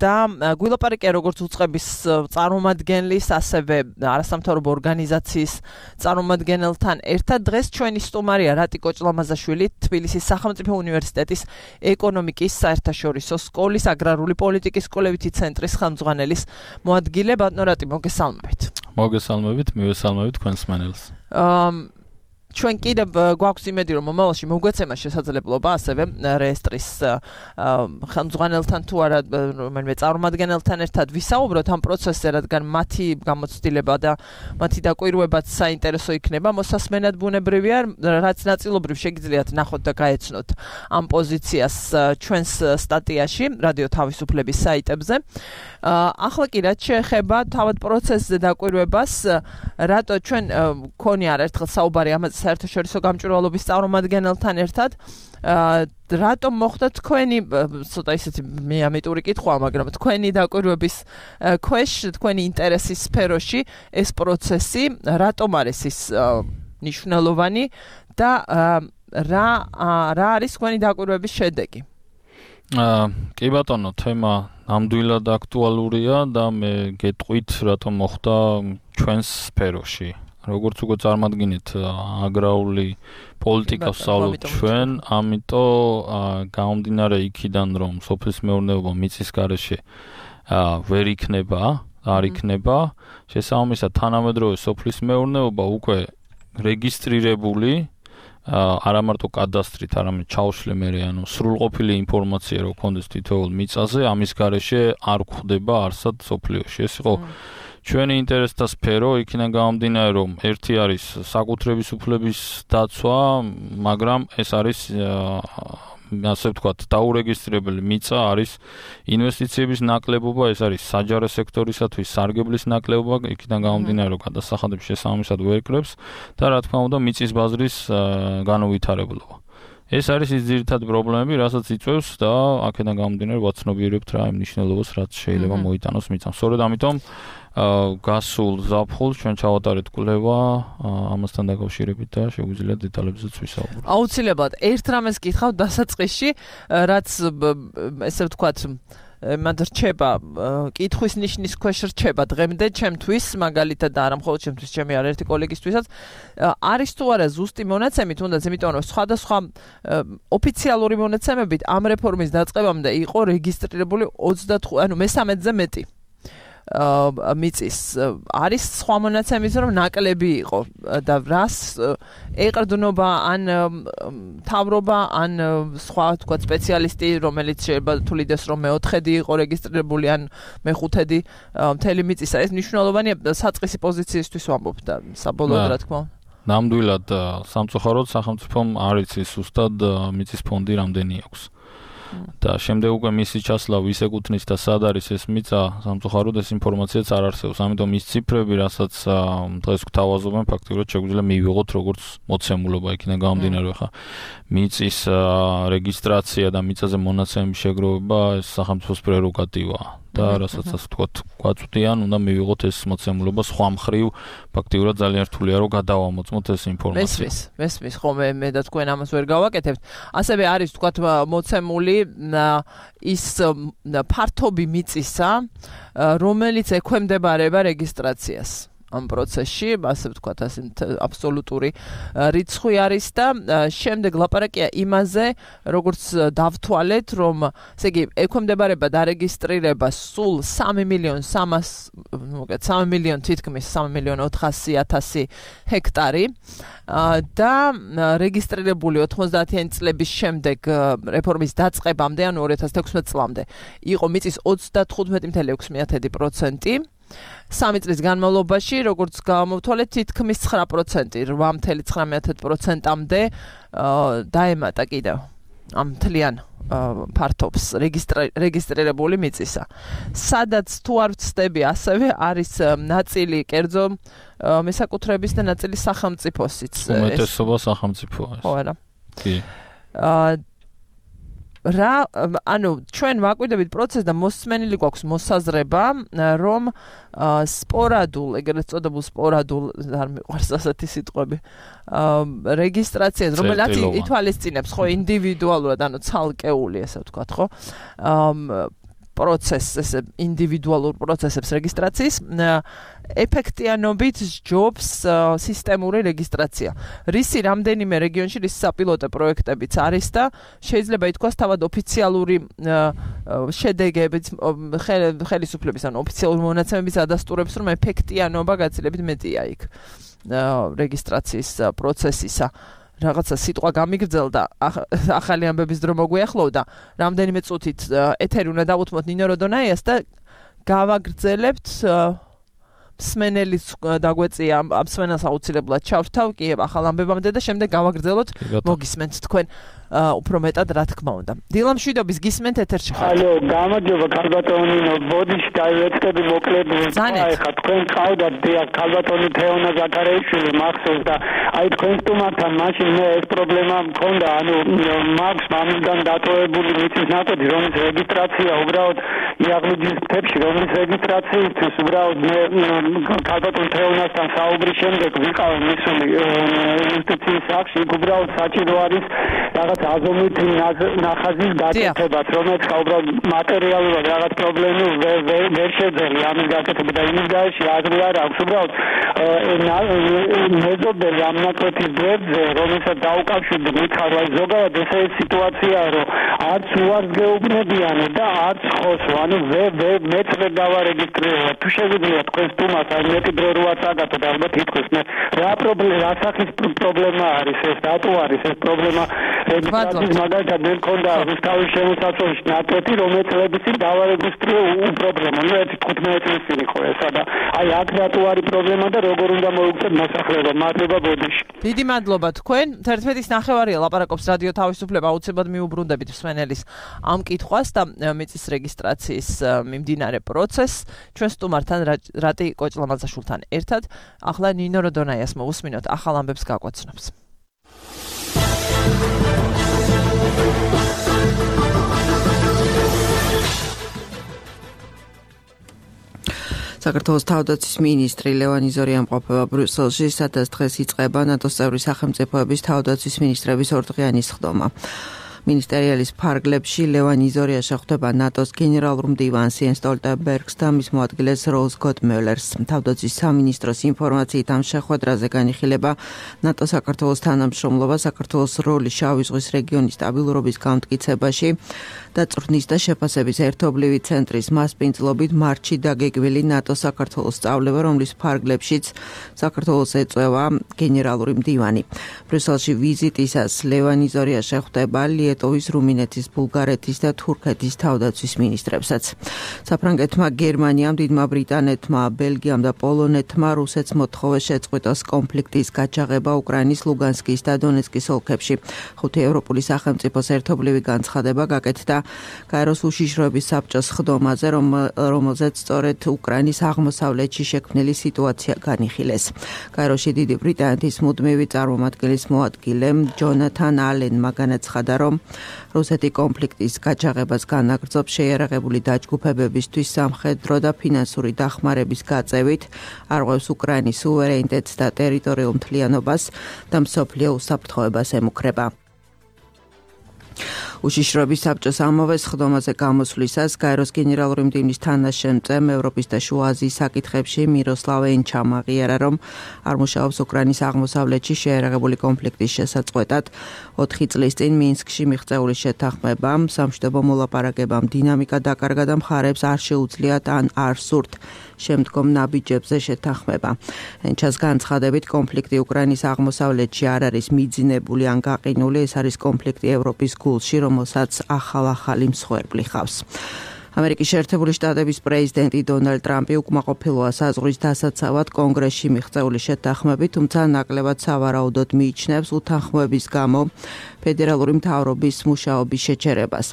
და გვილაპარაკია როგორც უწყების წარმომადგენლის, ასევე არასამთავრობო ორგანიზაციის წარმომადგენელთან ერთად. დღეს ჩვენი სტუმარია რატიკო ჭლამაზაშვილი, თბილისის სახელმწიფო უნივერსიტეტის ეკონომიკის საერთაშორისო სკოლის აგრარული პოლიტიკის კვლევითი ცენტრის ხელმძღვანელის მოადგილე. ბატონო რატი, მოგესალმებით. მოგესალმებით, მივესალმებით თქვენს მსმენელს. ჩვენ კიდევ გვაქვს იმედი რომ მომავალში მოგვეცემა შესაძლებლობა ასევე რეესტრის ხელმძღვანელთან თუ არა რომელიმე წარმომადგენელთან ერთად ვისაუბროთ ამ პროცესზე, რადგან მათი გამოცდილება და მათი დაკვირვებაც საინტერესო იქნება. მოსასმენად ბუნებრივია, რაც ნაწილობრივ შეგიძლიათ ნახოთ და გაეცნოთ ამ პოზიციას ჩვენს სტატიაში რადიო თავისუფლების საიტებზე. ახლა კი რაც შეეხება თავად პროცესზე დაკვირვებას, რატო ჩვენ ქონია ერთხელ საუბარი ამაზე საერთაშორისო გამჭვირვალობის წარმომადგენელთან ერთად, რატომ მოხდა თქვენი ცოტა ისეთი მეამეტური კითხვა, მაგრამ თქვენი დაკვირვების ქვეშ, თქვენი ინტერესის სფეროში ეს პროცესი რატომ არის ის მნიშვნელოვანი და რა არის თქვენი დაკვირვების შედეგი? კი ბატონო, თემა ნამდვილად აქტუალურია და მე გეტყვით რატომ მოხდა ჩვენს სფეროში. როგორც უკვე წარმოგიდგენთ, აგრარული პოლიტიკას ვსწავლობთ ჩვენ, ამიტომ გამომდინარე იქიდან, რომ სოფლის მეურნეობა მიწის გარეშე ვერ იქნება, არ იქნება, შესაბამისად თანამედროვე სოფლის მეურნეობა უკვე რეგისტრირებული არა მარტო კადასტრით, არამედ ჩაუშლე მერე, ანუ სრულყოფილი ინფორმაცია რო გქონდეს თითოეულ მიწაზე, ამის გარეშე არ გვხვდება არსად სოფლიოში. ეს იყო ჩვენი ინტერესთა სფერო, იქიდან გამომდინარე, რომ ერთი არის საკუთრების უფლების დაცვა, მაგრამ ეს არის ასე ვთქვათ, დაურეგისტრირებელი მიწა, არის ინვესტიციების ნაკლებობა, ეს არის საჯარო სექტორისათვის სარგებლის ნაკლებობა, იქიდან გამომდინარე, რომ გადასახადებს შესაბამისად ვერ კრებს და რა თქმა უნდა, მიწის ბაზრის განუვითარებლობა. ეს არის ის ძირითადი პრობლემები, რასაც იწვევს და აქედან გამომდინარე, ვაცნობიერებთ რა იმ მნიშვნელობას, რაც შეიძლება მოიტანოს მიწამ. სწორედ ამიტომ გასულ ზაფხულს ჩვენ ჩავატარეთ კვლევა ამასთან დაკავშირებით და შეგვიძლია დეტალებზეც ვისაუბროთ. აუცილებლად ერთ რამეს გითხავთ დასაწყისში, რაც ესე ვთქვათ მად რჩება კითხვის ნიშნის ქვეშ რჩება დღემდე ჩემთვის მაგალითად და არა მხოლოდ ჩემთვის, ჩემი არაერთი კოლეგისთვისაც არის თუ არა ზუსტი მონაცემი, თუნდაც იმიტომ რომ სხვადასხვა ოფიციალური მონაცემებით ამ რეფორმის დაწყებამდე იყო რეგისტრირებული 25, ანუ მე-13-ზე მეტი მიწის. არის სხვა მონაცემის რომ ნაკლები იყო და რას ეყრდნობა ან თავრობა ან სხვა თქვა სპეციალისტი, რომელიც შეიძლება თulides რომ მე-4-დი იყო რეგისტრირებული ან მე-5-დი მთელი მიწისა. ეს მნიშვნელოვანია საწყისი პოზიციისთვის ვამბობ და საბოლოოდ რა თქმა უნდა. ნამდვილად სამწუხაროდ სახელმწიფომ არ იცის ზუსტად მიწის ფონდი რამდენი აქვს. და შემდეგ უკვე მისი ჩასლა ვის ეკუთვნის და სად არის ეს მიწა, სამწუხაროდ ეს ინფორმაციაც არ არსებობს. ამიტომ ის ციფრები, რასაც დღეს გვთავაზობენ, ფაქტიურად შეგვიძლია მივიღოთ როგორც მოცემულობა, იქიდან გამომდინარე, ხა მიწის რეგისტრაცია და მიწაზე მონაცემების შეგროვება ეს სახელმწიფოს პრეროგატივაა. და რასაც ასე ვთქვათ, გვაწვდიან, უნდა მივიღოთ ეს მოცემულობა სხვა მხრივ, ფაქტიურად ძალიან რთულია რომ გადავამოწმოთ ეს ინფორმაცია. მესმის, ხო მე და თქვენ ამას ვერ გავაკეთებთ. ასევე არის ვთქვათ მოცემული ის ფართობი მიწისა, რომელიც ექვემდებარება რეგისტრაციას. ამ პროცესში, ასე ვთქვათ, ასე აბსოლუტური რიცხვი არის და შემდეგ ლაპარაკია იმაზე, როგორც დავთვალეთ, რომ ესე იგი ექვემდებარება დარეგისტრირება სულ 3.3 თითქმის 3.400.000 ჰექტარი და რეგისტრირებული 90-იანი წლების შემდეგ რეფორმის დაწყებამდე, ანუ 2016 წლამდე, იყო მიწის 35.6%. 3 წლის განმავლობაში, როგორც გამოვთვალეთ, თითქმის 9%, 8.9%-მდე დაემატა კიდევ ამ მთლიან ფართობს რეგისტრირებული მიწისა. სადაც თუ არ ვცდები, ასევე არის ნაწილი კერძო მესაკუთრების და ნაწილი სახელმწიფოსიც. უმეტესობა სახელმწიფოა. ხო, არა. კი. ანუ ჩვენ ვაკვირდებით პროცესს და მოსმენილი გვაქვს მოსაზრება, რომ სპორადულ, ეგრეთ წოდებულ სპორადულ, არ მიყვარს ასეთი სიტყვები, რეგისტრაციას, რომელიც ითვალისწინებს, ხო, ინდივიდუალურად, ანუ ცალკეული, ესე ვთქვათ, ხო, პროცესს, ესე ინდივიდუალურ პროცესებს რეგისტრაციის ეფექტიანობით ჯობს სისტემური რეგისტრაცია. რისი რამდენიმე რეგიონში რის საპილოტო პროექტებიც არის და შეიძლება ითქვას თავად ოფიციალური შედეგებით ხელისუფლების, ანუ ოფიციალური მონაცემების ადასტურებს, რომ ეფექტიანობა გაცილებით მეტია იქ. რეგისტრაციის პროცესისა რაღაცა სიტყვა გამიგრძელდა, ახალი ამბების დრო მოგვიახლოვდა, რამდენიმე წუთით ეთერი უნდა დავუთმოთ ნინო როდონაიას და გავაგრძელებთ მსმენელის დაგვეწია ამ მსმენელს აუცილებლად ჩავრთავ კი ახალ ამბებამდე და შემდეგ გავაგრძელოთ მოგისმენთ თქვენ უფრო მეტად რა თქმა უნდა. დილა მშვიდობის გისმენთ ეთერში ხართ. ალო, გამარჯობა ქალბატონინო, ბოდიში დაივეცდები მოკლედ. ხა თქვენ ყავდათ დიახ ქალბატონი თეონა ზაქარეიშვილი მახსოვს და აი თქვენ სტუმართან მაშინ მე ეს პრობლემა მქონდა, ანუ მაქვს მამიდან დატოვებული მიწის ნაკოდი, რომლის რეგისტრაცია უბრალოდ იაღლუჯის მთებში, რომლის რეგისტრაციისთვის უბრალოდ მე ქალბატონ თეონასთან საუბრის შემდეგ ვიყავ მისული ინსტიტუციის სახში, უბრალოდ საჭირო არის რაღაც აზომით ნახაზის გაკეთებაც, რომელიც უბრალოდ მატერიალურად რაღაც პრობლემები ვერ შეძელი ამის გაკეთება და იმის გარეშე აზრი არ აქვს უბრალოდ მეზობელი ამ ნაკვეთის გვერდზე, რომელსაც დაუკავშირდი მითხარ, აი ზოგადად ესე სიტუაციაა, რომ არც უარს გეუბნებიან და არც ხოსო, ანუ მეც ვერ დავარეგისტრირებ. თუ შეგვიძლია თქვენ სტუმარს აი მეტი დრო რო აწაგათოთ, ალბათ ითქოს მე რა სახის პრობლემა არის ეს, რატო არის ეს პრობლემა რეგისტრაციის მაგალითად მე მქონდა რუსთავის შემოსაცვლელი ნაკვეთი, რომელიც წლების წინ დავარეგისტრირე უპრობლემო. ნუ 15 წლის წინ იყო ესა და აი აქ რატო არის პრობლემა და როგორ უნდა მოუწევთ მოსახლეობა. მადლობა ბოდიში. დიდი მადლობა თქვენ. 11:09 ლაპარაკობს რადიო თავისუფლება, აუცილებლად მიუბრუნდებით მსმენელის ამ კითხვას და მიწის რეგისტრაციის მიმდინარე პროცესს. ჩვენ სტუმართან რატი კოჭლამაძაშვილთან ერთად ახლა ნინო როდონაიას მოусმინოთ ახალ ამბებს გაკვაცნობს. საქართველოს თავდაცვის მინისტრი ლევან იზორია ამყოფება ბრიუსელში, სადაც დღეს იწყება ნატოს წევრი სახელმწიფოების თავდაცვის მინისტრების ორდღიანი სხდომა. მინისტერიალის ფარგლებში ლევან იზორია შეხვდება ნატოს გენერალურ მდივანს იენს სტოლტენბერგს და მის მოადგილეს როლს გოტმიულერს. თავდაცვის სამინისტროს ინფორმაციით ამ შეხვედრაზე განიხილება ნატო საქართველოს თანამშრომლობა, საქართველოს როლი შავი ზღვის რეგიონის სტაბილურობის გამტკიცებაში და წვრთნის და შეფასების ერთობლივი ცენტრის მასპინძლობით მარტში დაგეგმილი ნატო საქართველოს სწავლება, რომლის ფარგლებშიც საქართველოს ეწევა გენერალური მდივანი. ბრიუსელში ვიზიტისას ლევან იზორია შეხვდება ლიეტოვის, რუმინეთის, ბულგარეთის და თურქეთის თავდაცვის მინისტრებსაც. საფრანგეთმა, გერმანიამ, დიდმა ბრიტანეთმა, ბელგიამ და პოლონეთმა რუსეთს მოთხოვეს შეწყვიტოს კონფლიქტის გაჩაღება უკრაინის ლუგანსკის და დონეცკის ოლქებში. 5 ევროპული სახელმწიფოს ერთობლივი განცხადება გაკეთდა გაეროს უშიშროების საბჭოს სხდომაზე, რომელზეც სწორედ უკრაინის აღმოსავლეთში შექმნილი სიტუაცია განიხილეს. გაეროში დიდი ბრიტანეთის მუდმივი წარმომადგენლის მოადგილე ჯონათან ალენმა განაცხადა, რომ რუსეთი კონფლიქტის გაჩაღებას განაგრძობს შეიარაღებული დაჯგუფებებისთვის სამხედრო და ფინანსური დახმარების გაწევით, არღვევს უკრაინის სუვერენიტეტს და ტერიტორიულ მთლიანობას და მსოფლიო უსაფრთხოებას ემუქრება. უშიშროების საბჭოს ამავე სხდომაზე გამოსვლისას გაეროს გენერალური მდივნის თანაშემწემ ევროპის და შუა აზიის საკითხებში მიროსლავ ენჩამ აღიარა, რომ არ მუშაობს უკრაინის აღმოსავლეთში შეიარაღებული კონფლიქტის შესაწყვეტად. 4 წლის წინ მინსკში მიღწეული შეთანხმებამ, სამშვიდობო მოლაპარაკებამ დინამიკა დაკარგა და მხარებს არ შეუძლიათ ან არ სურთ შემდგომ ნაბიჯებზე შეთანხმება. ენჩას განცხადებით, კონფლიქტი უკრაინის აღმოსავლეთში არ არის მიძინებული ან გაყინული, ეს არის კონფლიქტი ევროპის გულში, რომელსაც ახალი მსხვერპლი ხავს. ამერიკის შეერთებული შტატების პრეზიდენტი დონალდ ტრამპი უკმაყოფილოა საზღვრის დასაცავად კონგრესში მიღწეული შეთანხმებით, თუმცა ნაკლებად სავარაუდოდ მიიჩნევს უთანხმოების გამო ფედერალური მთავრობის მუშაობის შეჩერებას.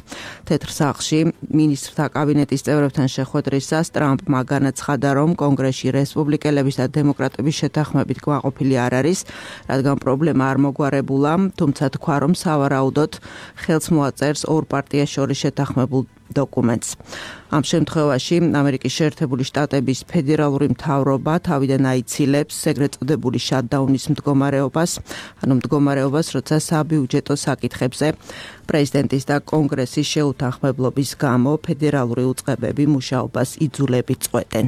თეთრ სახლში მინისტრთა კაბინეტის წევრებთან შეხვედრისას ტრამპმა განაცხადა, რომ კონგრესში რესპუბლიკელების და დემოკრატების შეთანხმებით კმაყოფილი არ არის, რადგან პრობლემა არ მოგვარებულა, თუმცა თქვა, რომ სავარაუდოდ ხელს მოაწერს ორ პარტიას შორის შეთანხმებულ დოკუმენტს. ამ შემთხვევაში ამერიკის შეერთებული შტატების ფედერალური მთავრობა თავიდან აიცილებს ეგრეთ წოდებული შატდაუნის მდგომარეობას, ანუ მდგომარეობას, როცა საბიუჯეტო საკითხებზე პრეზიდენტის და კონგრესის შეუთანხმებლობის გამო ფედერალური უწყებები მუშაობას იძულებით წყვეტენ.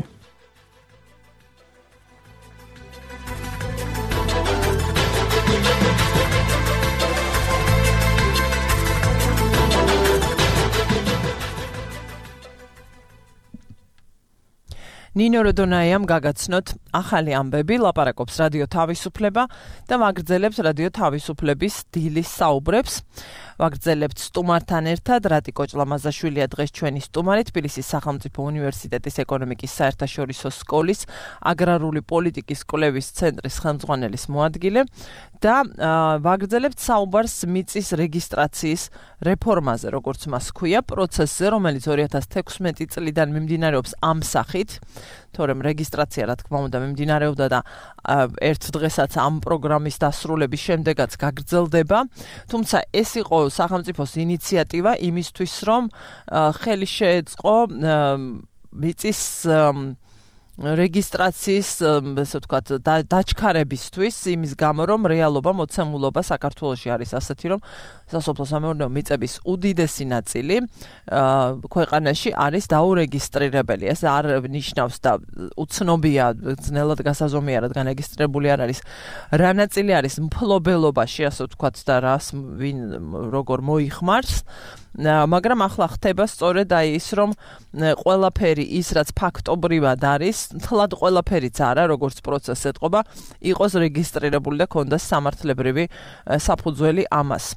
ნინო როდონაიამ გაგაცნოთ ახალი ამბები, ლაპარაკობს რადიო თავისუფლება და ვაგრძელებთ რადიო თავისუფლების დილის საუბრებს. ვაგრძელებთ სტუმართან ერთად რატიკო ჭლამაზაშვილია დღეს ჩვენი სტუმარი თბილისის სახელმწიფო უნივერსიტეტის ეკონომიკის საერთაშორისო სკოლის აგრარული პოლიტიკის კვლევის ცენტრის ხელმძღვანელის მოადგილე და ვაგრძელებთ საუბარს მიწის რეგისტრაციის რეფორმაზე, როგორც მას ქვია, პროცესზე, რომელიც 2016 წლიდან მიმდინარეობს ამ სახით, თორემ რეგისტრაცია, რა თქმა უნდა, მიმდინარეობდა და ერთ დღესაც ამ პროგრამის დასრულების შემდეგაც გაგრძელდება. თუმცა ეს იყო სახელმწიფოს ინიციატივა იმისთვის, რომ ხელი შეეწყო მიწის რეგისტრაციის, ასე ვთქვათ, დაჩქარებისთვის, იმის გამო, რომ რეალობა, მოცემულობა საქართველოში არის ასეთი, რომ სასოფლო-სამეურნეო მიწების უდიდესი ნაწილი ქვეყანაში არის დაურეგისტრირებელი. ეს არ ნიშნავს და უცნობია, ძნელად გასაზომია, რადგან რეგისტრირებული არ არის, რა ნაწილი არის მფლობელობაში, ასე ვთქვათ, და რას ვინ როგორ მოიხმარს. მაგრამ ახლა ხდება სწორედ ის, რომ ყველაფერი ის, რაც ფაქტობრივად არის, თლად ყველაფერიც არა, როგორც პროცესს ეტყობა, იყოს რეგისტრირებული და ქონდეს სამართლებრივი საფუძველი ამას.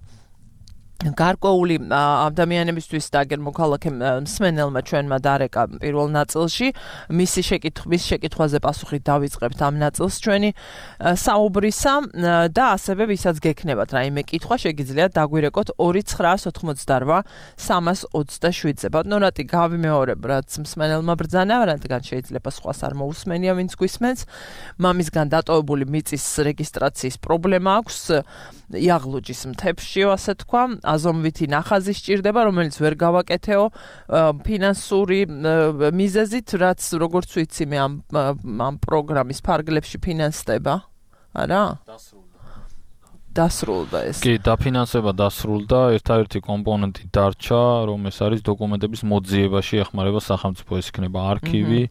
გარკვეული ადამიანებისთვის და აგერ მოქალაქე მსმენელმა ჩვენმა დარეკა პირველ ნაწილში მის შეკითხვაზე პასუხი დავიწყებთ ამ ნაწილს ჩვენი საუბრისა და ასევე ვისაც გექნებათ რაიმე კითხვა შეგიძლიათ დაგვირეკოთ 2998327-ზე. ბატონო რატი გავიმეორებ რაც მსმენელმა ბრძანა, რადგან შეიძლება სხვას არ მოусმენია ვინც გვისმენს. მამისგან დატოვებული მიწის რეგისტრაციის პრობლემა აქვს იაღლუჯის მთებში, ასე თქვა. აზომვითი ნახაზი სჭირდება, რომელიც ვერ გავაკეთეო ფინანსური მიზეზით, რაც როგორც ვიცი მე ამ პროგრამის ფარგლებში ფინანსდება, არა? დასრულდა ეს. კი, დაფინანსება დასრულდა, ერთადერთი კომპონენტი დარჩა, რომ ეს არის დოკუმენტების მოძიებაში ეხმარება სახელმწიფო, ეს იქნება არქივი,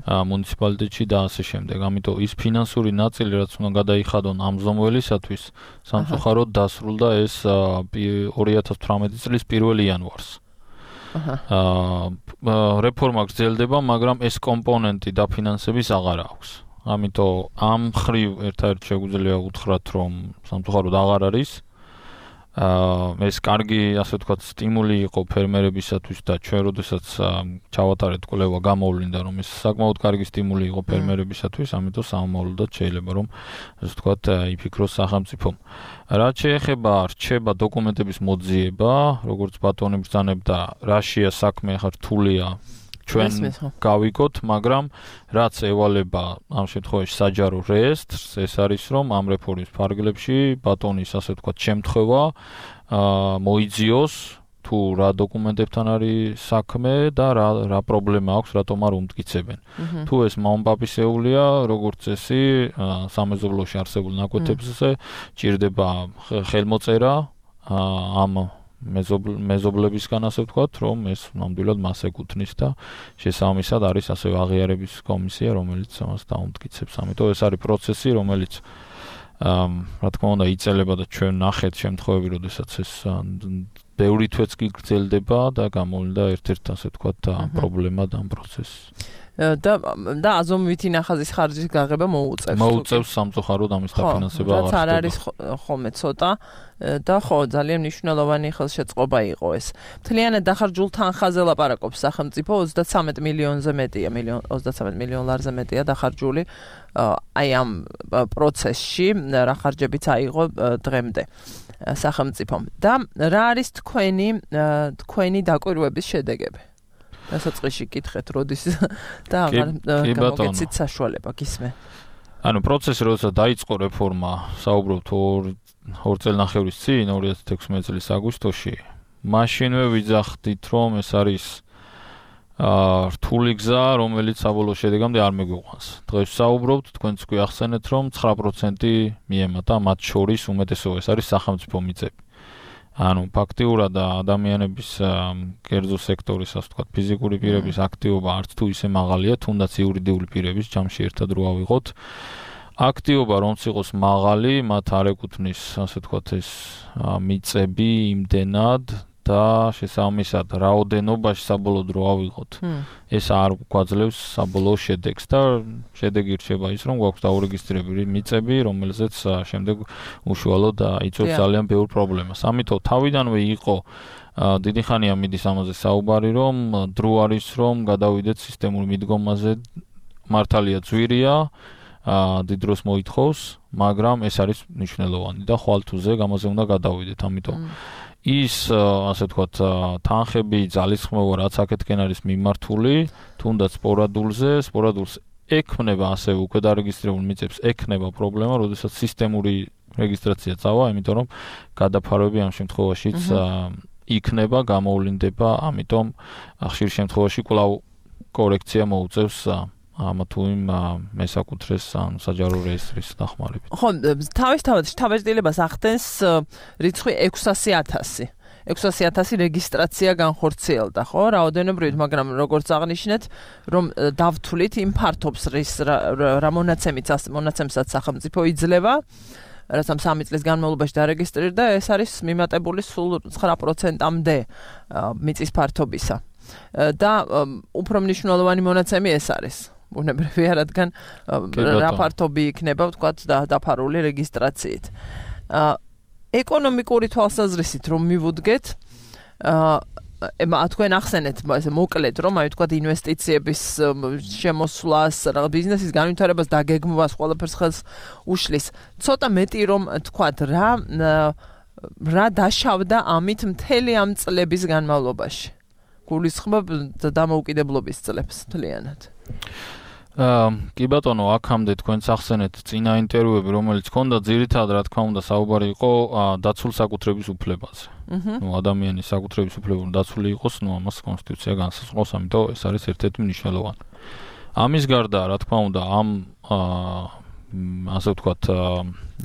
მუნიციპალიტეტში და ასე შემდეგ. ამიტომ ის ფინანსური ნაწილი, რაც უნდა გადაიხადონ ამ ზომველისათვის, სამწუხაროდ დასრულდა ეს 2018 წლის 1 იანვარს. რეფორმა გრძელდება, მაგრამ ეს კომპონენტი დაფინანსების აღარ აქვს. ამიტომ ამ ხრივ ერთად შეგვიძლია უთხრათ, რომ სამწუხაროდ აღარ არის. ეს კარგი, ასე ვთქვათ, სტიმული იყო ფერმერებისათვის და ჩვენ როდესაც ჩავატარეთ კვლევა გამოვლინდა, რომ ეს საკმაოდ კარგი სტიმული იყო ფერმერებისათვის, ამიტომ სამომავლოდაც შეიძლება, რომ ასე ვთქვათ, იფიქროს სახელმწიფომ. რაც შეეხება რჩება დოკუმენტების მოძიება, როგორც ბატონი ბრძანებდა, რაშია საქმე, ახლა რთულია ჩვენ გავიგოთ, მაგრამ რაც ევალება ამ შემთხვევაში საჯარო რეესტრს, ეს არის რომ ამ რეფორმის ფარგლებში ბატონის ასე ვთქვათ შემთხვევა მოიძიოს თუ რა დოკუმენტებთან არის საქმე და რა პრობლემა აქვს, რატომ არ უმტკიცებენ. თუ ეს მაუმპაპისეულია, როგორც წესი, სამეზობლოში არსებულ ნაკვეთებზე ჭირდება ხელმოწერა ამ მეზობლებისგან, ასე ვთქვათ, რომ ეს ნამდვილად მას ეკუთვნის და შესაბამისად არის ასევე აღიარების კომისია, რომელიც ამას დაუმტკიცებს. ამიტომ ეს არის პროცესი, რომელიც რა თქმა უნდა იწელება და ჩვენ ნახეთ შემთხვევები, როდესაც ეს ბევრი თვეც კი გრძელდება და გამოვლინდა ერთ-ერთ ასე ვთქვათ პრობლემად ამ პროცესს. და აზომვითი ნახაზის ხარჯის გაღება მოუწევს სამწუხაროდ ამის დაფინანსება აღარ ხდება. რაც არ არის ხოლმე ცოტა და ხო ძალიან მნიშვნელოვანი ხელშეწყობა იყო ეს. მთლიანად დახარჯულ თანხაზე ლაპარაკობს სახელმწიფო 33 მილიონზე მეტია, 33 მილიონ ლარზე მეტია დახარჯული აი ამ პროცესში, რა ხარჯებიც აიღო დღემდე სახელმწიფომ. და რა არის თქვენი დაკვირვების შედეგები? დასაწყისში კითხეთ, როდის და აღარ გამოგეცით საშუალება, გისმენ. ანუ პროცესი როდესაც დაიწყო რეფორმა, საუბრობთ 2 წელნახევრის წინ, 2016 წლის აგვისტოში, მაშინვე ვიძახდით, რომ ეს არის რთული გზა, რომელიც საბოლოო შედეგამდე არ მეგვიყვანს. დღეს საუბრობთ, თქვენც კი ახსენეთ, რომ 9% მიემატა, მათ შორის უმეტესობა ეს არის სახელმწიფო მიწები. ანუ ფაქტიურად ადამიანების კერძო სექტორის, ასე ვთქვათ, ფიზიკური პირების აქტივობა არც თუ ისე მაღალია, თუნდაც იურიდიული პირების ჯამში ერთად რო ავიღოთ. აქტივობა რომც იყოს მაღალი, მათ არ ეკუთვნის, ასე ვთქვათ, ეს მიწები იმდენად და შესაბამისად რაოდენობაში საბოლოოდ რო ავიღოთ. ეს არ გვაძლევს საბოლოო შედეგს და შედეგი რჩება ის, რომ გვაქვს დაურეგისტრირებული მიწები, რომელზეც შემდეგ უშუალოდ იწვევს ძალიან ბევრ პრობლემას. ამიტომ თავიდანვე იყო დიდი ხანია მიდის ამაზე საუბარი, რომ დრო არის, რომ გადავიდეთ სისტემურ მიდგომაზე, მართალია ძვირია, დიდ დროს მოითხოვს, მაგრამ ეს არის მნიშვნელოვანი და ხვალ თუზე გამაზე უნდა გადავიდეთ, ამიტომ ის ასე ვთქვათ თანხები, ძალისხმევა, რაც აქეთკენ არის მიმართული, თუნდაც სპორადულს ექმნება ასევე უკვე დარეგისტრირებულ მიწებს ექნება პრობლემა, როდესაც სისტემური რეგისტრაცია წავა, იმიტომ რომ გადაფარვები ამ შემთხვევაშიც იქნება, გამოვლინდება, ამიტომ ხშირ შემთხვევაში კვლავ კორექცია მოუწევს ამ თუ იმ მესაკუთრეს საჯარო რეესტრის დახმარებით. ხო, თავისთავად შთაბეჭდილებას ახდენს რიცხვი 600,000. 600,000 რეგისტრაცია განხორციელდა, ხო? რაოდენობრივად, მაგრამ როგორც აღნიშნეთ, რომ დავთვლით იმ ფართობს რა მონაცემსაც სახელმწიფო იძლევა, რაც ამ 3 წლის განმავლობაში დარეგისტრირდა, ეს არის მიმატებული სულ 9%-მდე მიწის ფართობისა. და უფრო მნიშვნელოვანი მონაცემი ეს არის. ბუნებრივია, რადგან რა ფართობი იქნება, ვთქვათ, დაფარული რეგისტრაციით. ეკონომიკური თვალსაზრისით რომ მივუდგეთ, თქვენ ახსენეთ, ესე მოკლედ, რომ აი ვთქვათ ინვესტიციების შემოსვლას, რაღაც ბიზნესის განვითარებას დაგეგმვას ყველაფერს ხელს უშლის. ცოტა მეტი რომ ვთქვათ, რა დაშავდა ამით მთელი ამ წლების განმავლობაში. გულისხმობ დამოუკიდებლობის წლებს მთლიანად. კი ბატონო, აქამდე თქვენც ახსენეთ წინა ინტერვიუები, რომელიც ჰქონდა ძირითადად რა თქმა უნდა საუბარი იყო დაცულ საკუთრების უფლებაზე. ადამიანის საკუთრების უფლება დაცული იყოს, ამას კონსტიტუცია განსაზღვრავს, ამიტომ ეს არის ერთ-ერთი მნიშვნელოვანი. ამის გარდა, რა თქმა უნდა, ამ ასე ვთქვათ,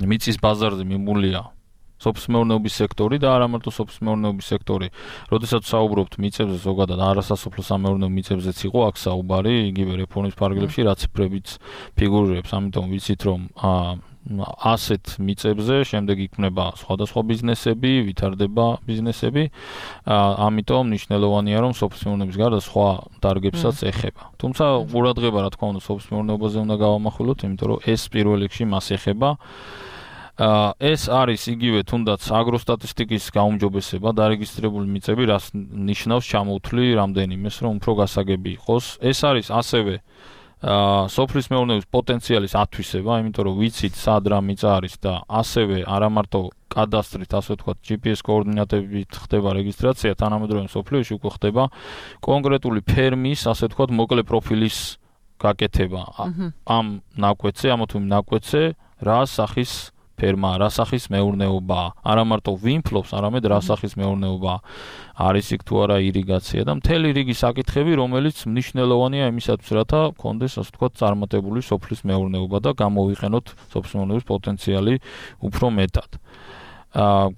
მიწის ბაზარზე მიმულია სოფლის-მეურნეობის სექტორი და არა მარტო სოფლის-მეურნეობის სექტორი. როდესაც საუბრობთ მიწებზე, ზოგადად არასასოფლო სამეურნეო მიწებზეც იყო აქ საუბარი, იგივე რეფორმის პარაგრაფში, რაც ციფრებიც ფიგურირებს. ამიტომ ვიცით, რომ ასეთ მიწებზე შემდეგ იქმნება სხვადასხვა ბიზნესები, ვითარდება ბიზნესები. ამიტომ მნიშვნელოვანია, რომ სოფლის-მეურნეობის გარდა სხვა დარგებსაც ეხება. თუმცა ყურადღება, რა თქმა უნდა, სოფლის-მეურნეობაზე უნდა გავამახვილოთ, იმიტომ რომ ეს პირველ რიგში მას ეხება. ეს არის იგივე თუნდაც აგროსტატისტიკის გაუმჯობესება, დარეგისტრირებული მიწები, რაც ნიშნავს ჩამოთვლი რამდენიმეს, რომ უფრო გასაგები იყოს. ეს არის ასევე სოფლის მეურნეობის პოტენციალის ათვისება, იმიტომ რომ ვიცით სად რა მიწა არის და ასევე არა მარტო კადასტრით, ასე ვთქვათ, GPS კოორდინატებით ხდება რეგისტრაცია, თანამედროვე სოფლიოში უკვე ხდება კონკრეტული ფერმის, ასე ვთქვათ, მოკლე პროფილის გაკეთება. ამ ნაკვეთზე, ამა თუ იმ ნაკვეთზე რა სახის ფერმა, რა სახის მეურნეობა, არა მარტო ვინ ფლობს, არამედ რა სახის მეურნეობა არის იქ თუ არა ირიგაცია და მთელი რიგი საკითხები, რომელიც მნიშვნელოვანია იმისათვის, რათა გქონდეს, ასე ვთქვათ, წარმატებული სოფლის მეურნეობა და გამოვიყენოთ სოფლის მეურნეობის პოტენციალი უფრო მეტად.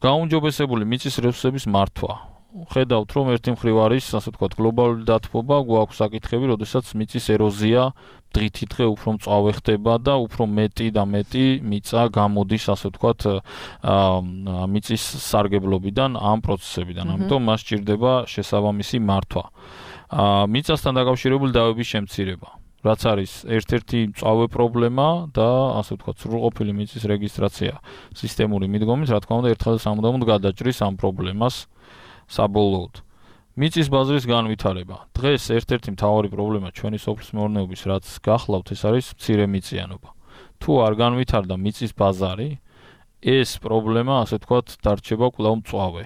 გაუმჯობესებული მიწის რესურსების მართვა. ხედავთ, რომ ერთი მხრივ არის, ასე ვთქვათ, გლობალური დათბობა, გვაქვს საკითხები, როდესაც მიწის ეროზია დღითიდღე უფრო მწვავე ხდება და უფრო მეტი და მეტი მიწა გამოდის, ასე ვთქვათ, მიწის სარგებლობიდან, ამ პროცესებიდან. ამიტომ მას სჭირდება შესაბამისი მართვა. მიწასთან დაკავშირებული დავების შემცირება, რაც არის ერთ-ერთი მწვავე პრობლემა და ასე ვთქვათ, სრულყოფილი მიწის რეგისტრაცია სისტემური მიდგომით, რა თქმა უნდა, ერთხელ სამუდამოდ გადაჭრის ამ პრობლემას საბოლოოდ. მიწის ბაზრის განვითარება. დღეს ერთ-ერთი მთავარი პრობლემა ჩვენი სოფლის მეურნეობის, რაც გახლავთ, ეს არის მცირე მიწიანობა. თუ არ განვითარდა მიწის ბაზარი, ეს პრობლემა, ასე ვთქვათ, დარჩება კვლავ მწვავე.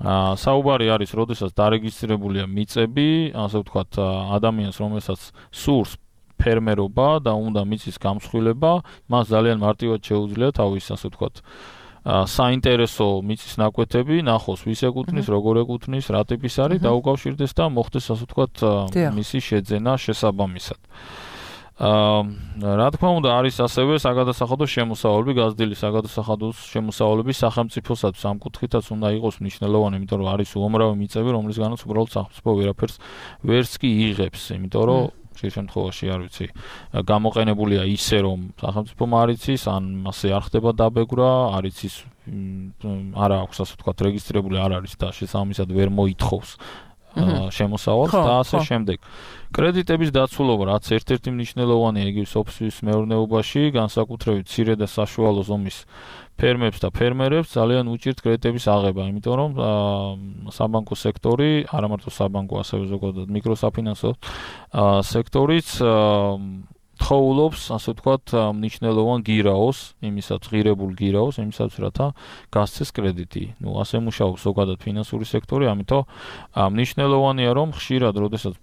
საუბარი არის, როდესაც დარეგისტრირებულია მიწები, ასე ვთქვათ, ადამიანს, რომელსაც სურს ფერმერობა და უნდა მიწის გამსხვილება, მას ძალიან მარტივად შეუძლია თავის, ასე ვთქვათ, საინტერესო მიწის ნაკვეთები ნახოს, ვის ეკუთვნის, როგორ ეკუთვნის, რა ტიპის არის, დაუკავშირდეს და მოხდეს, ასე ვთქვათ, მისი შეძენა შესაბამისად. რა თქმა უნდა, არის ასევე საგადასახადო შემოსავალები, გაზრდილი საგადასახადო შემოსავალები სახელმწიფოსაც ამ კუთხითაც უნდა იყოს მნიშვნელოვანი, იმიტომ რომ არის უამრავი მიწები, რომლისგანაც უბრალოდ სახელმწიფო ვერაფერს ვერც კი იღებს, იმიტომ რომ ხშირ შემთხვევაში არ ვიცი, გამოყენებულია ისე რომ სახელმწიფო არ იცის, ან ასე არ ხდება დაბეგრა, არ იცის არა აქვს ასე ვთქვათ რეგისტრირებული არ არის და შესაბამისად ვერ მოითხოვს შემოსავალს და ასე შემდეგ. კრედიტების დაცულობა რაც ერთ-ერთი მნიშვნელოვანია იგივე სოფლის მეურნეობაში, განსაკუთრებით მცირე და საშუალო ზომის ფერმებს და ფერმერებს ძალიან უჭირთ კრედიტების აღება, იმიტომ რომ საბანკო სექტორი, არა მარტო საბანკო, ასევე ზოგადად მიკროსაფინანსო სექტორიც თხოვლობს, ასე ვთქვათ, მნიშვნელოვან გირაოს, იმისაც ღირებულ გირაოს, იმისაც რათა გასცეს კრედიტი. ასე მუშაობს ზოგადად ფინანსური სექტორი, ამიტომ მნიშვნელოვანია, რომ ხშირად, როდესაც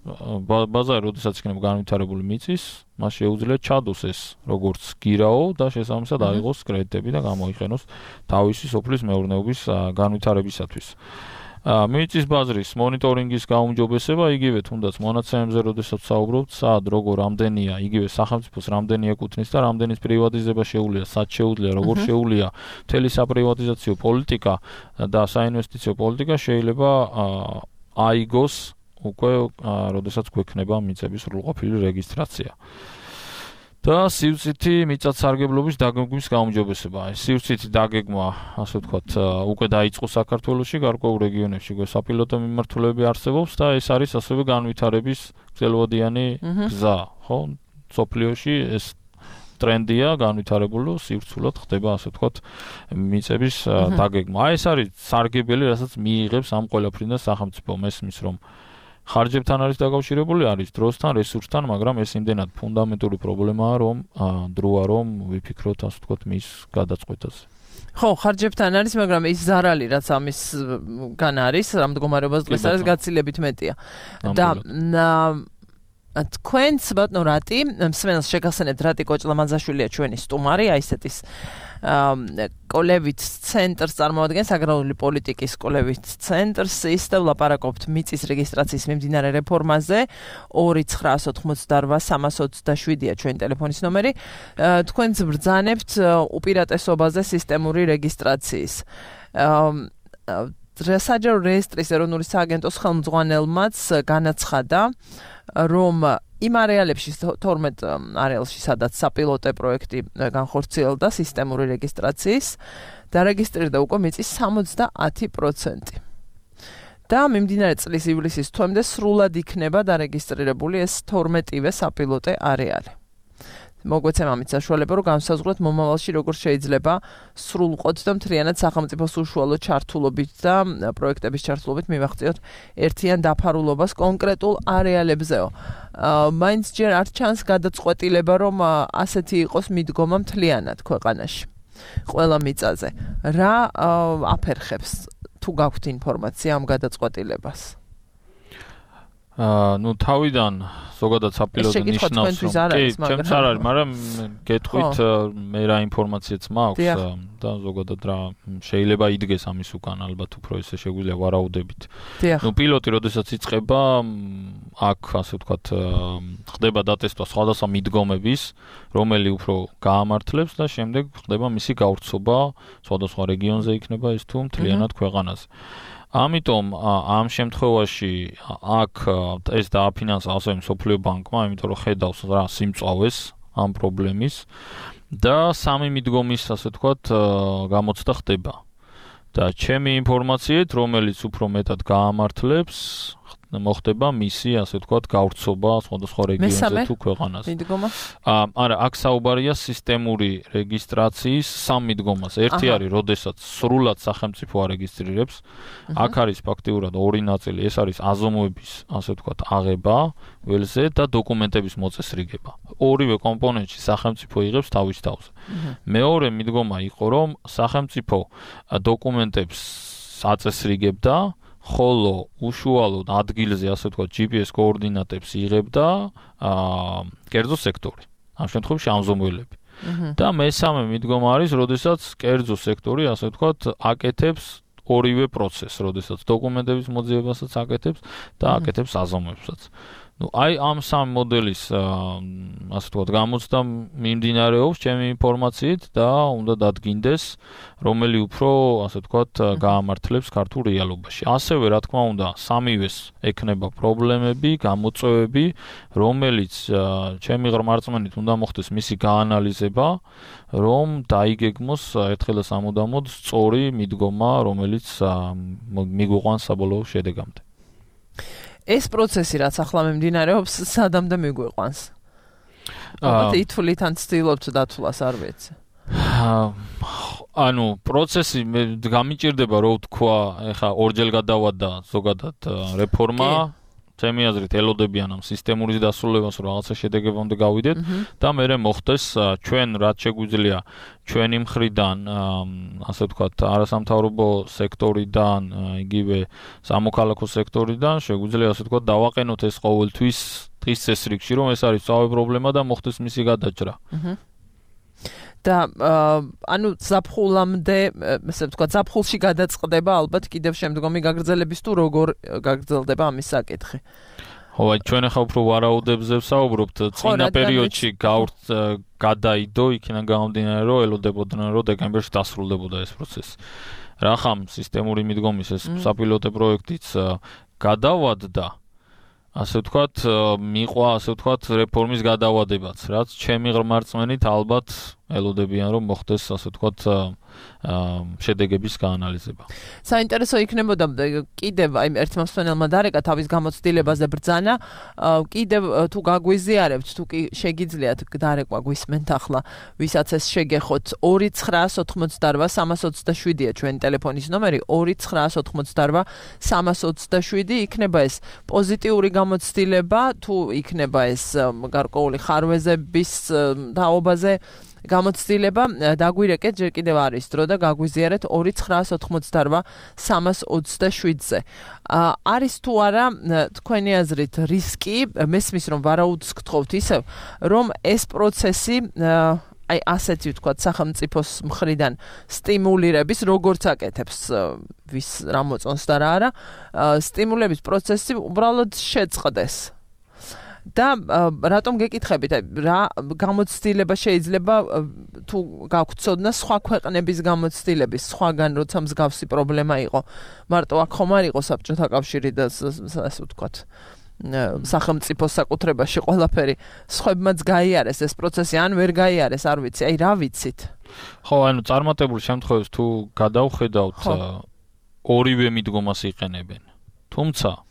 ბაზარი, როდესაც იქნება განვითარებული მიწის, მას შეუძლია ჩადოს ეს როგორც გირაო და შესაბამისად აიღოს კრედიტები და გამოიყენოს თავისი სოფლის მეურნეობის განვითარებისათვის. მიწის ბაზრის მონიტორინგის გაუმჯობესება იგივე თუნდაც მონაცემებზე როდესაც საუბრობთ, სად როგორ რამდენია, იგივე სახელმწიფოს რამდენი ეკუთვნის და რამდენის პრივატიზება შეუძლია, სად შეუძლია, როგორ შეუძლია მთელი საპრივატიზაციო პოლიტიკა და საინვესტიციო პოლიტიკა შეიძლება აიგოს უკვე როდესაც გვექნება მიწების სრულყოფილი რეგისტრაცია. და სივრცითი მიწათსარგებლობის დაგეგმვის გაუმჯობესება. სივრცითი დაგეგმა, ასე ვთქვათ, უკვე დაიწყო საქართველოში, გარკვეულ რეგიონებში საპილოტო მიმართულები არსებობს და ეს არის ასევე განვითარების გრძელვადიანი გზა, ხო? სოფლიოში ეს ტრენდია განვითარებულო სივრცულად ხდება, ასე ვთქვათ, მიწების დაგეგმა. ეს არის სარგებელი, რასაც მიიღებს ამ ყველაფრიდან სახელმწიფო მესმის, რომ ხარჯებთან არის დაკავშირებული, არის დროსთან, რესურსთან, მაგრამ ეს იმდენად ფუნდამენტური პრობლემაა, რომ დროა რომ ვიფიქროთ, ასე ვთქვათ, მის გადაწყვეტაზე. ხო, ხარჯებთან არის, მაგრამ ის ზარალი, რაც ამისგან არის, რამ მდგომარეობას დღეს არის გაცილებით მეტია. და თქვენც ბატონო რატი, მსმენელს შეგახსენებთ, რატი კოჭლამანძაშვილია ჩვენი სტუმარი, აი ესეთის კოლევით ცენტრს წარმოადგენს აგრარული პოლიტიკის კოლევით ცენტრს ის და ვლაპარაკობთ მიწის რეგისტრაციის მიმდინარე რეფორმაზე 2988-327-ია ჩვენი ტელეფონის ნომერი თქვენც ბრძანებთ უპირატესობაზე სისტემური რეგისტრაციის საჯარო რეესტრის ეროვნული სააგენტოს ხელმძღვანელმაც განაცხადა რომ იმ არეალებში 12 არეალში სადაც საპილოტე პროექტი განხორციელდა სისტემური რეგისტრაციის დარეგისტრირდა უკვე მიწის 70%. და მიმდინარე წლის ივლისის თვემდე სრულად იქნება დარეგისტრირებული ეს 12-ვე საპილოტე არეალი. მოგვეცემ ამით საშუალება რომ განსაზღვროთ მომავალში როგორ შეიძლება სრულყოთ და მთლიანად სახელმწიფოს უშუალო ჩართულობით და პროექტების ჩართულობით მივახციოთ ერთიან დაფარულობას კონკრეტულ არეალებზეო. მაინც ჯერ არ ჩანს გადაწყვეტილება რომ ასეთი იყოს მიდგომა მთლიანად ქვეყანაში. ყველა მიწაზე. რა აფერხებს თუ გაქვთ ინფორმაცია ამ გადაწყვეტილებას? თავიდან ზოგადად საპილოტო ნიშნავს ჩემს არ არის, მაგრამ გეტყვით მე რა ინფორმაციაც მაქვს და ზოგადად რა შეიძლება იდგეს ამის უკან ალბათ უფრო ესე შეგვიძლია ვარაუდებით. პილოტი როდესაც იწყება აქ ასე ვთქვათ ხდება დატესტვა სხვადასხვა მიდგომების, რომელი უფრო გაამართლებს და შემდეგ ხდება მისი გავრცობა სხვადასხვა რეგიონზე იქნება ეს თუ მთლიანად ქვეყანაზე. ამიტომ ამ შემთხვევაში აქ ეს დააფინანსა ასევე მსოფლიო ბანკმა, იმიტომ რომ ხედავს რა სიმწვავეს ამ პრობლემის და სამი მიდგომის ასე ვთქვათ გამოცდა ხდება. და ჩემი ინფორმაციით, რომელიც უფრო მეტად გაამართლებს, მოხდება მისი ასე ვთქვათ გავრცობა სხვადასხვა რეგიონზე თუ ქვეყანაზე. არა, აქ საუბარია სისტემური რეგისტრაციის სამ მიდგომას. ერთი არის, როდესაც სრულად სახელმწიფო არეგისტრირებს. აქ არის ფაქტიურად ორი ნაწილი, ეს არის აზომვების ასე ვთქვათ აღება ველზე და დოკუმენტების მოწესრიგება. ორივე კომპონენტში სახელმწიფო იღებს თავის თავზე. მეორე მიდგომა იყო, რომ სახელმწიფო დოკუმენტებს აწესრიგებდა ხოლო უშუალოდ ადგილზე ასე ვთქვათ GPS კოორდინატებს იღებდა კერძო სექტორი. ამ შემთხვევაში ამზომველები. და მესამე მიდგომა არის, როდესაც კერძო სექტორი ასე ვთქვათ აკეთებს ორივე პროცესს, როდესაც დოკუმენტების მოძიებასაც აკეთებს და აკეთებს აზომვებსაც. აი ამ სამ მოდელის ასე ვთქვათ გამოცდა მიმდინარეობს ჩემი ინფორმაციით და უნდა დადგინდეს რომელი უფრო ასე ვთქვათ გაამართლებს ქართულ რეალობაში. ასევე რა თქმა უნდა სამივეს ექნება პრობლემები, გამოწვევები, რომელიც ჩემი ღრმარწმენით უნდა მოხდეს მისი გაანალიზება, რომ დაიგეგმოს ერთხელ და სამუდამოდ სწორი მიდგომა, რომელიც მიგვიყვანს საბოლოო შედეგამდე. ეს პროცესი რაც ახლა მიმდინარეობს, სადამდე მიგვიყვანს? ალბათ ითვლით ან ცდილობთ დათვლას, არ ვიცი. ანუ პროცესი გამიჭირდება რო ვთქვა, ეხა ორჯერ გადავადა ზოგადად რეფორმა. ჩემი აზრით ელოდებიან ამ სისტემური დასრულებას, რომ რაღაცა შედეგებამდე გავიდეთ და მერე მოხდეს ჩვენ რაც შეგვიძლია ჩვენი მხრიდან, ასე ვთქვათ, არასამთავრობო სექტორიდან, იგივე სამოქალაქო სექტორიდან შეგვიძლია ასე ვთქვათ დავაყენოთ ეს ყოველთვის დღის წესრიგში, რომ ეს არის სწავე პრობლემა და მოხდეს მისი გადაჭრა. და ანუ ზაფხულამდე, ესე ვთქვათ, ზაფხულში გადაწყდება ალბათ კიდევ შემდგომი გაგრძელების თუ როგორ გაგრძელდება ამის საკითხი. ხო, აი ჩვენ ახლა უფრო ვარაუდებზე ვსაუბრობთ, წინა პერიოდში გადაიდო, იქიდან გამომდინარე, რომ ელოდებოდნენ, რომ დეკემბერში დასრულდებოდა ეს პროცესი. რახამ სისტემური მიდგომის ეს საპილოტო პროექტიც გადავადდა, ასე ვთქვათ, მიყვა, ასე ვთქვათ, რეფორმის გადავადებაც, რაც ჩემი ღრმარწმენით ალბათ ელოდებიან, რომ მოხდეს, ასე ვთქვათ, შედეგების გაანალიზება. საინტერესო იქნებოდა კიდევ აი ერთმა მსმენელმა დარეკა თავის გამოცდილებაზე ბრძანა, კიდევ თუ გაგვიზიარებთ, თუ კი შეგიძლიათ დარეკვა გვისმენთ ახლა, ვისაც ეს შეგეხოთ 2988327-ია ჩვენი ტელეფონის ნომერი, 2988327 იქნება ეს პოზიტიური გამოცდილება, თუ იქნება ეს გარკვეული ხარვეზების თაობაზე გამოცდილება, დაგვირეკეთ, ჯერ კიდევ არის დრო და გაგვიზიარეთ 2988327-ზე. არის თუ არა თქვენი აზრით რისკი, მესმის რომ ვარაუდს გთხოვთ ისევ, რომ ეს პროცესი აი ასეთი ვთქვათ სახელმწიფოს მხრიდან სტიმულირების, როგორც აკეთებს ვის რა მოწონს და რა არა, სტიმულების პროცესი უბრალოდ შეწყდეს. და რატომ გეკითხებით, რა გამოცდილება შეიძლება თუ გაქვთ ცოდნა სხვა ქვეყნების გამოცდილების, სხვაგან როცა მსგავსი პრობლემა იყო, მარტო აქ ხომ არ იყო საბჭოთა კავშირი და ასე ვთქვათ, სახელმწიფოს საკუთრებაში ყველაფერი, სხვებმაც გაიარეს ეს პროცესი, ან ვერ გაიარეს, არ ვიცი, აი რა ვიცით? ხო, ანუ წარმატებულ შემთხვევებს თუ გადავხედავთ, ორივე მიდგომას იყენებენ. თუმცა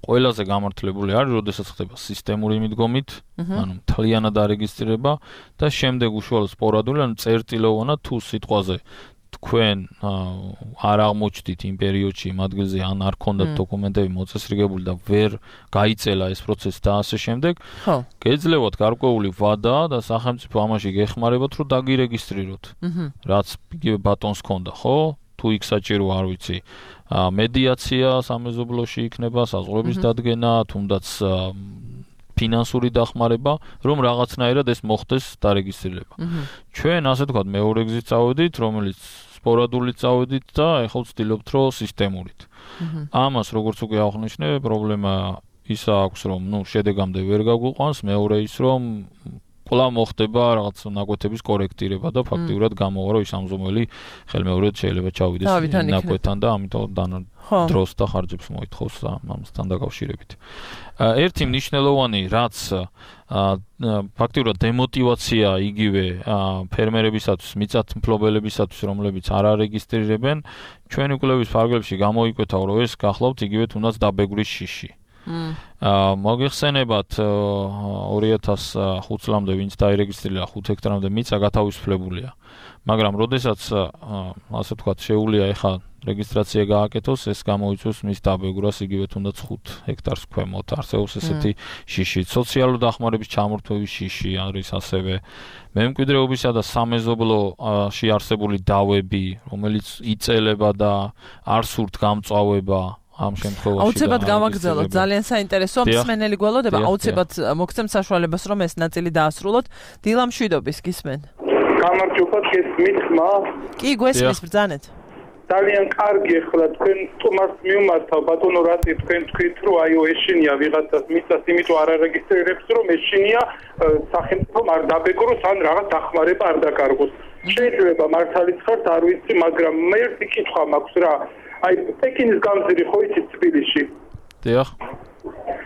ყველაზე გამართლებული არის, როდესაც ხდება სისტემური მიდგომით, ანუ მთლიანად არეგისტრირება და შემდეგ უშუალოდ სპორადული, ანუ წერტილოვანად თუ სიტყვაზე თქვენ არ აღმოჩნდით იმ პერიოდში იმ ადგილზე, ან არ ქონდათ დოკუმენტები მოწესრიგებული და ვერ გაიწელა ეს პროცესი და ასე შემდეგ, გეძლევათ გარკვეული ვადა და სახელმწიფო ამაში გეხმარებათ, რომ დაგირეგისტრიროთ. რაც იგივე ბატონს ქონდა, ხო? თუ იქ საჭირო არ ვიცი, მედიაცია სამეზობლოში იქნება, საზღვრების დადგენა, თუნდაც ფინანსური დახმარება, რომ რაღაცნაირად ეს მოხდეს დარეგისტრირება. ჩვენ ასე ვთქვათ, მეორე გზით წავედით, რომელიც სპორადულით წავედით და ეხლა ვცდილობთ, რომ სისტემურით. ამას როგორც უკვე აღნიშნე, პრობლემა ის აქვს, რომ შედეგამდე ვერ გაგვიყვანს, მეორე ის, რომ კვლავ მოხდება რაღაც ნაკვეთების კორექტირება და ფაქტიურად გამოვა, რომ ის ამზომელი ხელმეორედ შეიძლება ჩავიდეს ნაკვეთთან და ამიტომ დროს და ხარჯებს მოითხოვს ამასთან დაკავშირებით. ერთი მნიშვნელოვანი, რაც ფაქტიურად დემოტივაცია იგივე ფერმერებისათვის, მიწათმფლობელებისათვის, რომლებიც არ არეგისტრირებენ, ჩვენი კვლევის ფარგლებში გამოიკვეთა, რომ ეს გახლავთ იგივე თუნდაც დაბეგვრის შიში. მოგიხსენებათ 2005 წლამდე ვინც დაირეგისტრირა 5 ჰექტარამდე მიწა გათავისუფლებულია. მაგრამ როდესაც ასე ვთქვათ შეუულია ეხა რეგისტრაცია გააკეთოს, ეს გამოიწვევს მის დაბეგვრას იგივე თუნდაც 5 ჰექტარს ქვემოთ. არსებობს ესეთი შიში, სოციალური დახმარების ჩამორთმევის შიში არის ასევე მემკვიდრეობისა და სამეზობლოში არსებული დავები, რომელიც იწელება და არ სურთ გამწვავება ამ შემთხვევაში აუცილებლად გავაგრძელოთ, ძალიან საინტერესოა, მსმენელი გველოდება, აუცილებლად მოგცემ საშუალებას, რომ ეს ნაწილი დაასრულოთ. დილა მშვიდობის, გისმენ. გამარჯობა, გესმით ხმა? კი, გვესმის, ბრძანეთ. ძალიან კარგი ახლა თქვენ სტუმარს მიუმართავ ბატონო რატი თქვენ თქვით რომ აიო ეშინია ვიღაცას მიწას იმიტომ არ არეგისტრირებს რომ ეშინია სახელმწიფომ არ დაბეგროს ან რაღაც დახმარება არ დაკარგოს შეიძლება მართალიც ხართ არ ვიცი მაგრამ მე ერთი კითხვა მაქვს რა აი პეკინის გამზირი ხო იცით თბილისში დიახ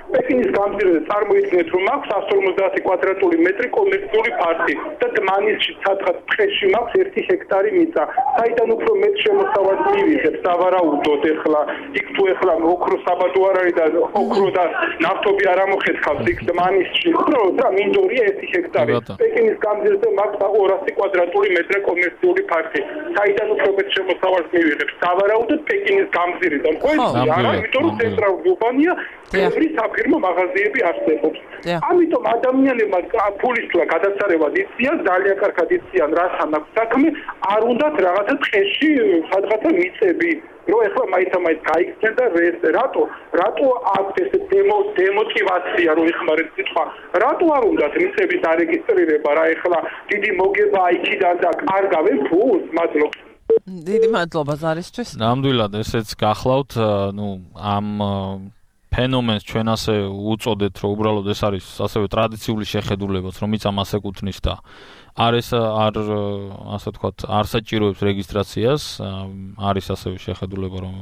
პეკინის გამზირზე წარმოიდგინეთ რომ აქვს 150 კვადრატული მეტრი კომერციული ფართი და დმანისში სადღაც ტყეში მაქვს 1 ჰექტარი მიწა. საიდან უფრო მეტ შემოსავალს მივიღებ სავარაუდოდ ახლა იქ თუ ახლა ოქრო საბადო არ არის და ოქრო და ნავთობი არ ამოხეთქავს იქ დმანისში. უბრალოდ რა მინდორია 1 ჰექტარი. პეკინის გამზირზე მაქვს 200 კვადრატული მეტრი კომერციული ფართი. საიდან უფრო მეტ შემოსავალს მივიღებ სავარაუდოდ პეკინის გამზირიდან. ხო იცი არა იმიტომ რომ ცენტრალური უბანია ბევრი საფირმო მაღაზიები არსებობს. ამიტომ ადამიანებმა ფულისთვლა გადაცარევად იციან, ძალიან კარგად იციან რასთან აქვს საქმე, არ უნდათ რაღაცა ტყეში სადღაცა მიწები, რომ ეხლა მაინც გაიქცენ და რატო აქვს ეს დემოტივაცია რომ ეხმარეთ სიტყვა, რატო არ უნდათ მიწების დარეგისტრირება რა ეხლა დიდი მოგება იქიდან და კარგავენ ფულს, მადლობა. დიდი მადლობა ზარისთვის. ნამდვილად ესეც გახლავთ, ამ ფენომენს ჩვენ ასე უწოდეთ, რომ უბრალოდ ეს არის ასევე ტრადიციული შეხედულებაც, რომ მიწამ ასე კუთვნის და ასე ვთქვათ, არ საჭიროებს რეგისტრაციას, არის ასევე შეხედულება, რომ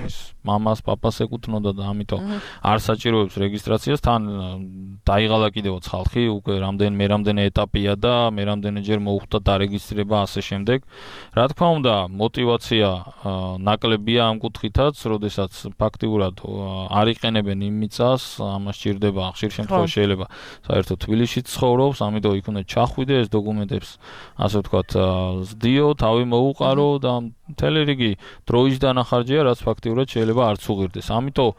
ის მამას, პაპას ეკუთვნოდა და ამიტომ არ საჭიროებს რეგისტრაციას, თან დაიღალა კიდევაც ხალხი, უკვე რამდენი ეტაპია და მე რამდენიჯერ მოუხდა დარეგისტრირება ასე შემდეგ. რა თქმა უნდა, мотиваცია ნაკლებია ამ კუთხითაც, როდესაც ფაქტიურად არ იყენებენ იმ მიწას, ამას სჭირდება, ხშირ შემთხვევაში შეიძლება საერთოდ თბილისში ცხოვრობს, ამიტომ იქ უნდა ჩახვიდე ეს დოკუმენტებს, ასე ვთქვათ, ზდიო, თავი მოუყარო და მთელი რიგი დროის დანახარჯეა, რაც ფაქტიურად შეიძლება არც უღირდეს. ამიტომ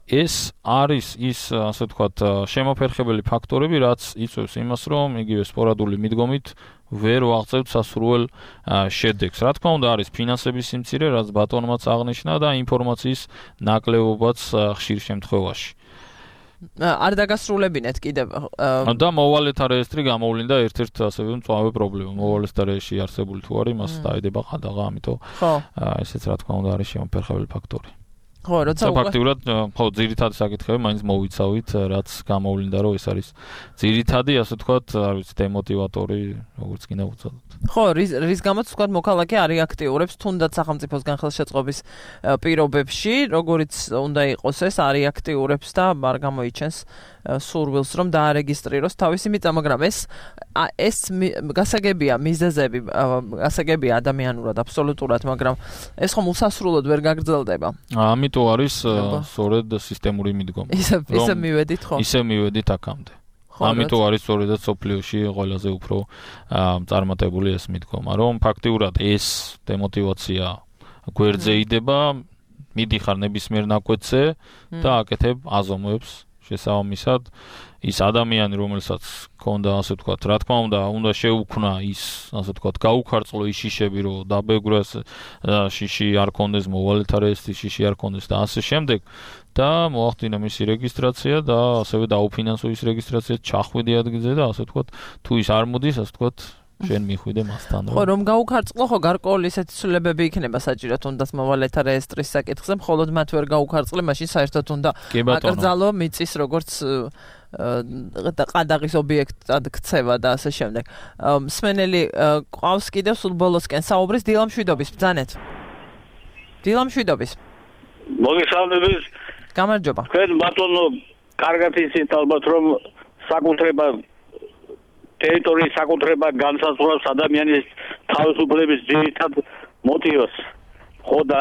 ეს არის ის, ასე ვთქვათ, შემოფერხებელი ფაქტორები, რაც იწვევს იმას, რომ იგივე სპორადული მიდგომით ვერ ვაღწევთ სასურველ შედეგს. რა თქმა უნდა, არის ფინანსების სიმცირე, რაც ბატონმაც აღნიშნა და ინფორმაციის ნაკლებობაც ხშირ შემთხვევაში. არ დაგასრულებინეთ კიდევ და მოვალეთა რეესტრი გამოვლინდა ერთ-ერთ ასევე მწვავე პრობლემა. მოვალეთა რეესტრში არსებული თუ არის, მას დაედება ყადაღა, ამიტომ ესეც რა თქმა უნდა არის შემოფერხებელი ფაქტორი. ხო, როცა ფაქტიურად ხო ძირითადი საკითხები მაინც მოვიცავით, რაც გამოვლინდა, რომ ეს არის ძირითადი, ასე ვთქვათ, არ ვიცი, დემოტივატორი, როგორც კიდე უწოდოთ. ხო, რის გამოც ვთქვათ, მოქალაქე არ აქტიურებს თუნდაც სახელმწიფოსგან ხელშეწყობის პირობებში, როგორიც უნდა იყოს ეს, არ აქტიურებს და არ გამოიჩენს სურვილს, რომ დაარეგისტრიროს თავისი მიწა, მაგრამ ეს გასაგებია მიზეზები, გასაგებია ადამიანურად, აბსოლუტურად, მაგრამ ეს ხომ უსასრულოდ ვერ გაგრძელდება. ამიტომ არის სწორედ სისტემური მიდგომა. ისე მივედით ხო? ისე მივედით აქამდე. ამიტომ არის სწორედაც სოფლიოში ყველაზე უფრო წარმატებული ეს მიდგომა, რომ ფაქტიურად ეს დემოტივაცია გვერდზე იდება, მიდიხარ ნებისმიერ ნაკვეთზე და აკეთებ აზომვებს შესაბამისად ის ადამიანი, რომელსაც ქონდა, ასე ვთქვათ, რა თქმა უნდა შეუქმნა ის, ასე ვთქვათ, გაუქარწყლო ის შიშები, რომ დაბეგროს შიში არ კონდეს, მოვალეთა რეესტრის შიში არ კონდეს და ასე შემდეგ და მოახდინა მისი რეგისტრაცია და ასევე დაუფინანსო ის რეგისტრაცია, ჩახვიდე ადგილზე და ასე ვთქვათ, თუ ის არ მოდის, ასე ვთქვათ, შენ მიხვიდე მასთან. ხო, რომ გაუქარწყლო, ხო, გარკვეული ისეთი ცვლილებები იქნება საჭირო თუნდაც მოვალეთა რეესტრის საკითხზე, მხოლოდ მათ ვერ გაუქარწყლე, მაშინ საერთოდ უნდა აკრძალო მიწის როგორც ყადაღის ობიექტად ქცევა და ასე შემდეგ. მსმენელი ყავს კიდევ სულ ბოლოსკენ საუბრის დილამშვიდობის ბრძანეთ. დილამშვიდობის. მოგესალმებით. გამარჯობა. თქვენ ბატონო კარგად იცით ალბათ რომ საკუთრება ტერიტორიის საკუთრება განსაზღვრავს ადამიანის თავისუფლების ძირითად მოტივს. ხო და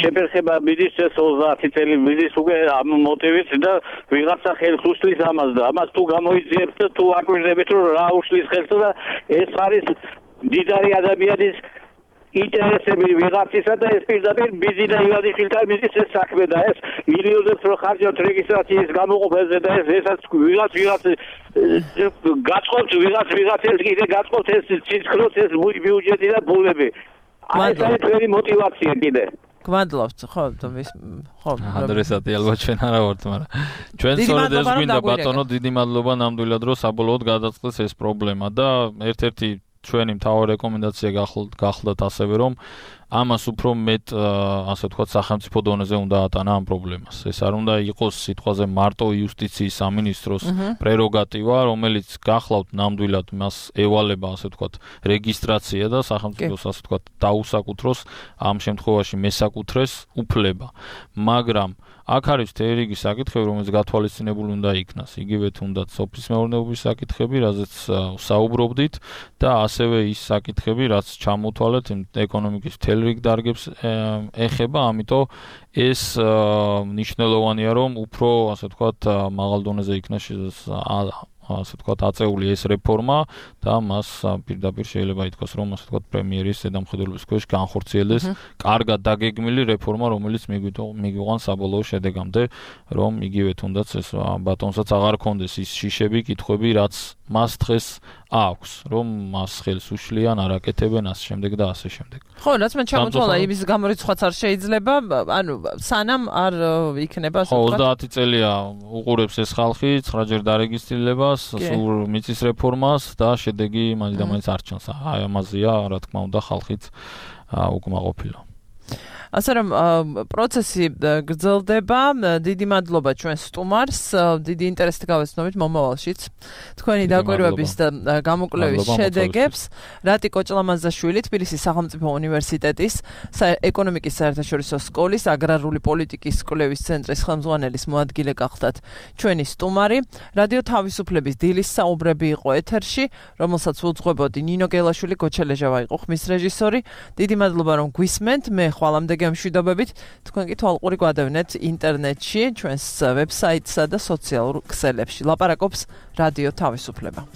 შეფერხება მიდის ეს 30 წელი მიდის უკვე ამ მოტივით და ვიღაცა ხელს უშლის ამას და ამას თუ გამოიძიებთ და თუ აკვირდებით რომ რა უშლის ხელს და ეს არის დიდარი ადამიანის ინტერესები ვიღაცისა და ეს პირდაპირ ბიზნესი ვიღაცის მიდის ეს საქმე და ეს მილიონებს რო ხარჯავთ რეგისტრაციის გამოყოფაზე და ესაც ვიღაც გაწყობთ ვიღაცებს კიდე გაწყობთ ეს ციცქროც ეს ბიუჯეტი და ფულები. აი ეს არის თქვენი мотиваცია კიდე. გმადლობთ, ხო, ხო. ადრესატი ალბათ ჩვენ არა ვართ, მაგრამ ჩვენ სწორედ ეს გვინდა ბატონო, დიდი მადლობა ნამდვილად რომ საბოლოოდ გადაწყდეს ეს პრობლემა და ერთ-ერთი ჩვენი მთავარი რეკომენდაცია გახლდათ ასევე რომ ამას უფრო მეტ ასე ვთქვათ სახელმწიფო დონეზე უნდა ატანა ამ პრობლემას. ეს არ უნდა იყოს სიტყვაზე მარტო იუსტიციის სამინისტროს პრეროგატივა, რომელიც გახლავთ ნამდვილად მას ევალება ასე ვთქვათ რეგისტრაცია და სახელმწიფოს ასე ვთქვათ დაუსაკუთროს ამ შემთხვევაში მესაკუთრეს უფლება. მაგრამ აქ არის თერიგი საკითხები, რომელიც გათვალისწინებული უნდა იქნას. იგივე თუნდაც სოფლის მეურნეობის საკითხები, რაზეც საუბრობდით და ასევე ის საკითხები, რაც ჩამოთვალეთ ეკონომიკის მთელ რიგ დარგებს ეხება, ამიტომ ეს მნიშვნელოვანია, რომ უფრო ასე ვთქვათ მაღალ დონეზე იქნას ასე ვთქვათ აწეული ეს რეფორმა და მას პირდაპირ შეიძლება ითქვას, რომ ასე ვთქვათ პრემიერის ზედამხედველობის ქვეშ განხორციელდეს კარგად დაგეგმილი რეფორმა, რომელიც მიგვიყვანს საბოლოო შედეგამდე, რომ იგივე თუნდაც ეს ბატონსაც აღარ ქონდეს ის შიშები, კითხვები, რაც მას დღეს აქვს, რომ მას ხელს უშლიან, არაკეთებენ ასე შემდეგ და ასე შემდეგ. ხო, რაც მე ჩამოთვალა, იმის გამორიცხვაც არ შეიძლება, ანუ სანამ არ იქნება ასე ვთქვათ. 30 წელია უყურებს ეს ხალხი 9-ჯერ დარეგისტრირებას, სულ მიწის რეფორმას და შედეგი მაინც არ ჩანს. აი ამაზეა, რა თქმა უნდა, ხალხიც უკმაყოფილო. ასე რომ პროცესი გრძელდება. დიდი მადლობა ჩვენს სტუმარს. დიდი ინტერესით გავეცნობით მომავალშიც თქვენი დაკვირვების და გამოკვლევის შედეგებს. რატი კოჭლამაზაშვილი, თბილისის სახელმწიფო უნივერსიტეტის ეკონომიკის საერთაშორისო სკოლის აგრარული პოლიტიკის კვლევის ცენტრის ხელმძღვანელის მოადგილე გახდათ ჩვენი სტუმარი. რადიო თავისუფლების დილის საუბრები იყო ეთერში, რომელსაც უძღვებოდი ნინო გელაშვილი, გოჩელეჟავა იყო ხმის რეჟისორი. დიდი მადლობა რომ გვისმენთ. მე ხვალამდე გემშვიდობებით. თქვენ კი თვალყური გვადევნეთ ინტერნეტში, ჩვენს ვებსაიტსა და სოციალურ ქსელებში. ლაპარაკობს რადიო თავისუფლება.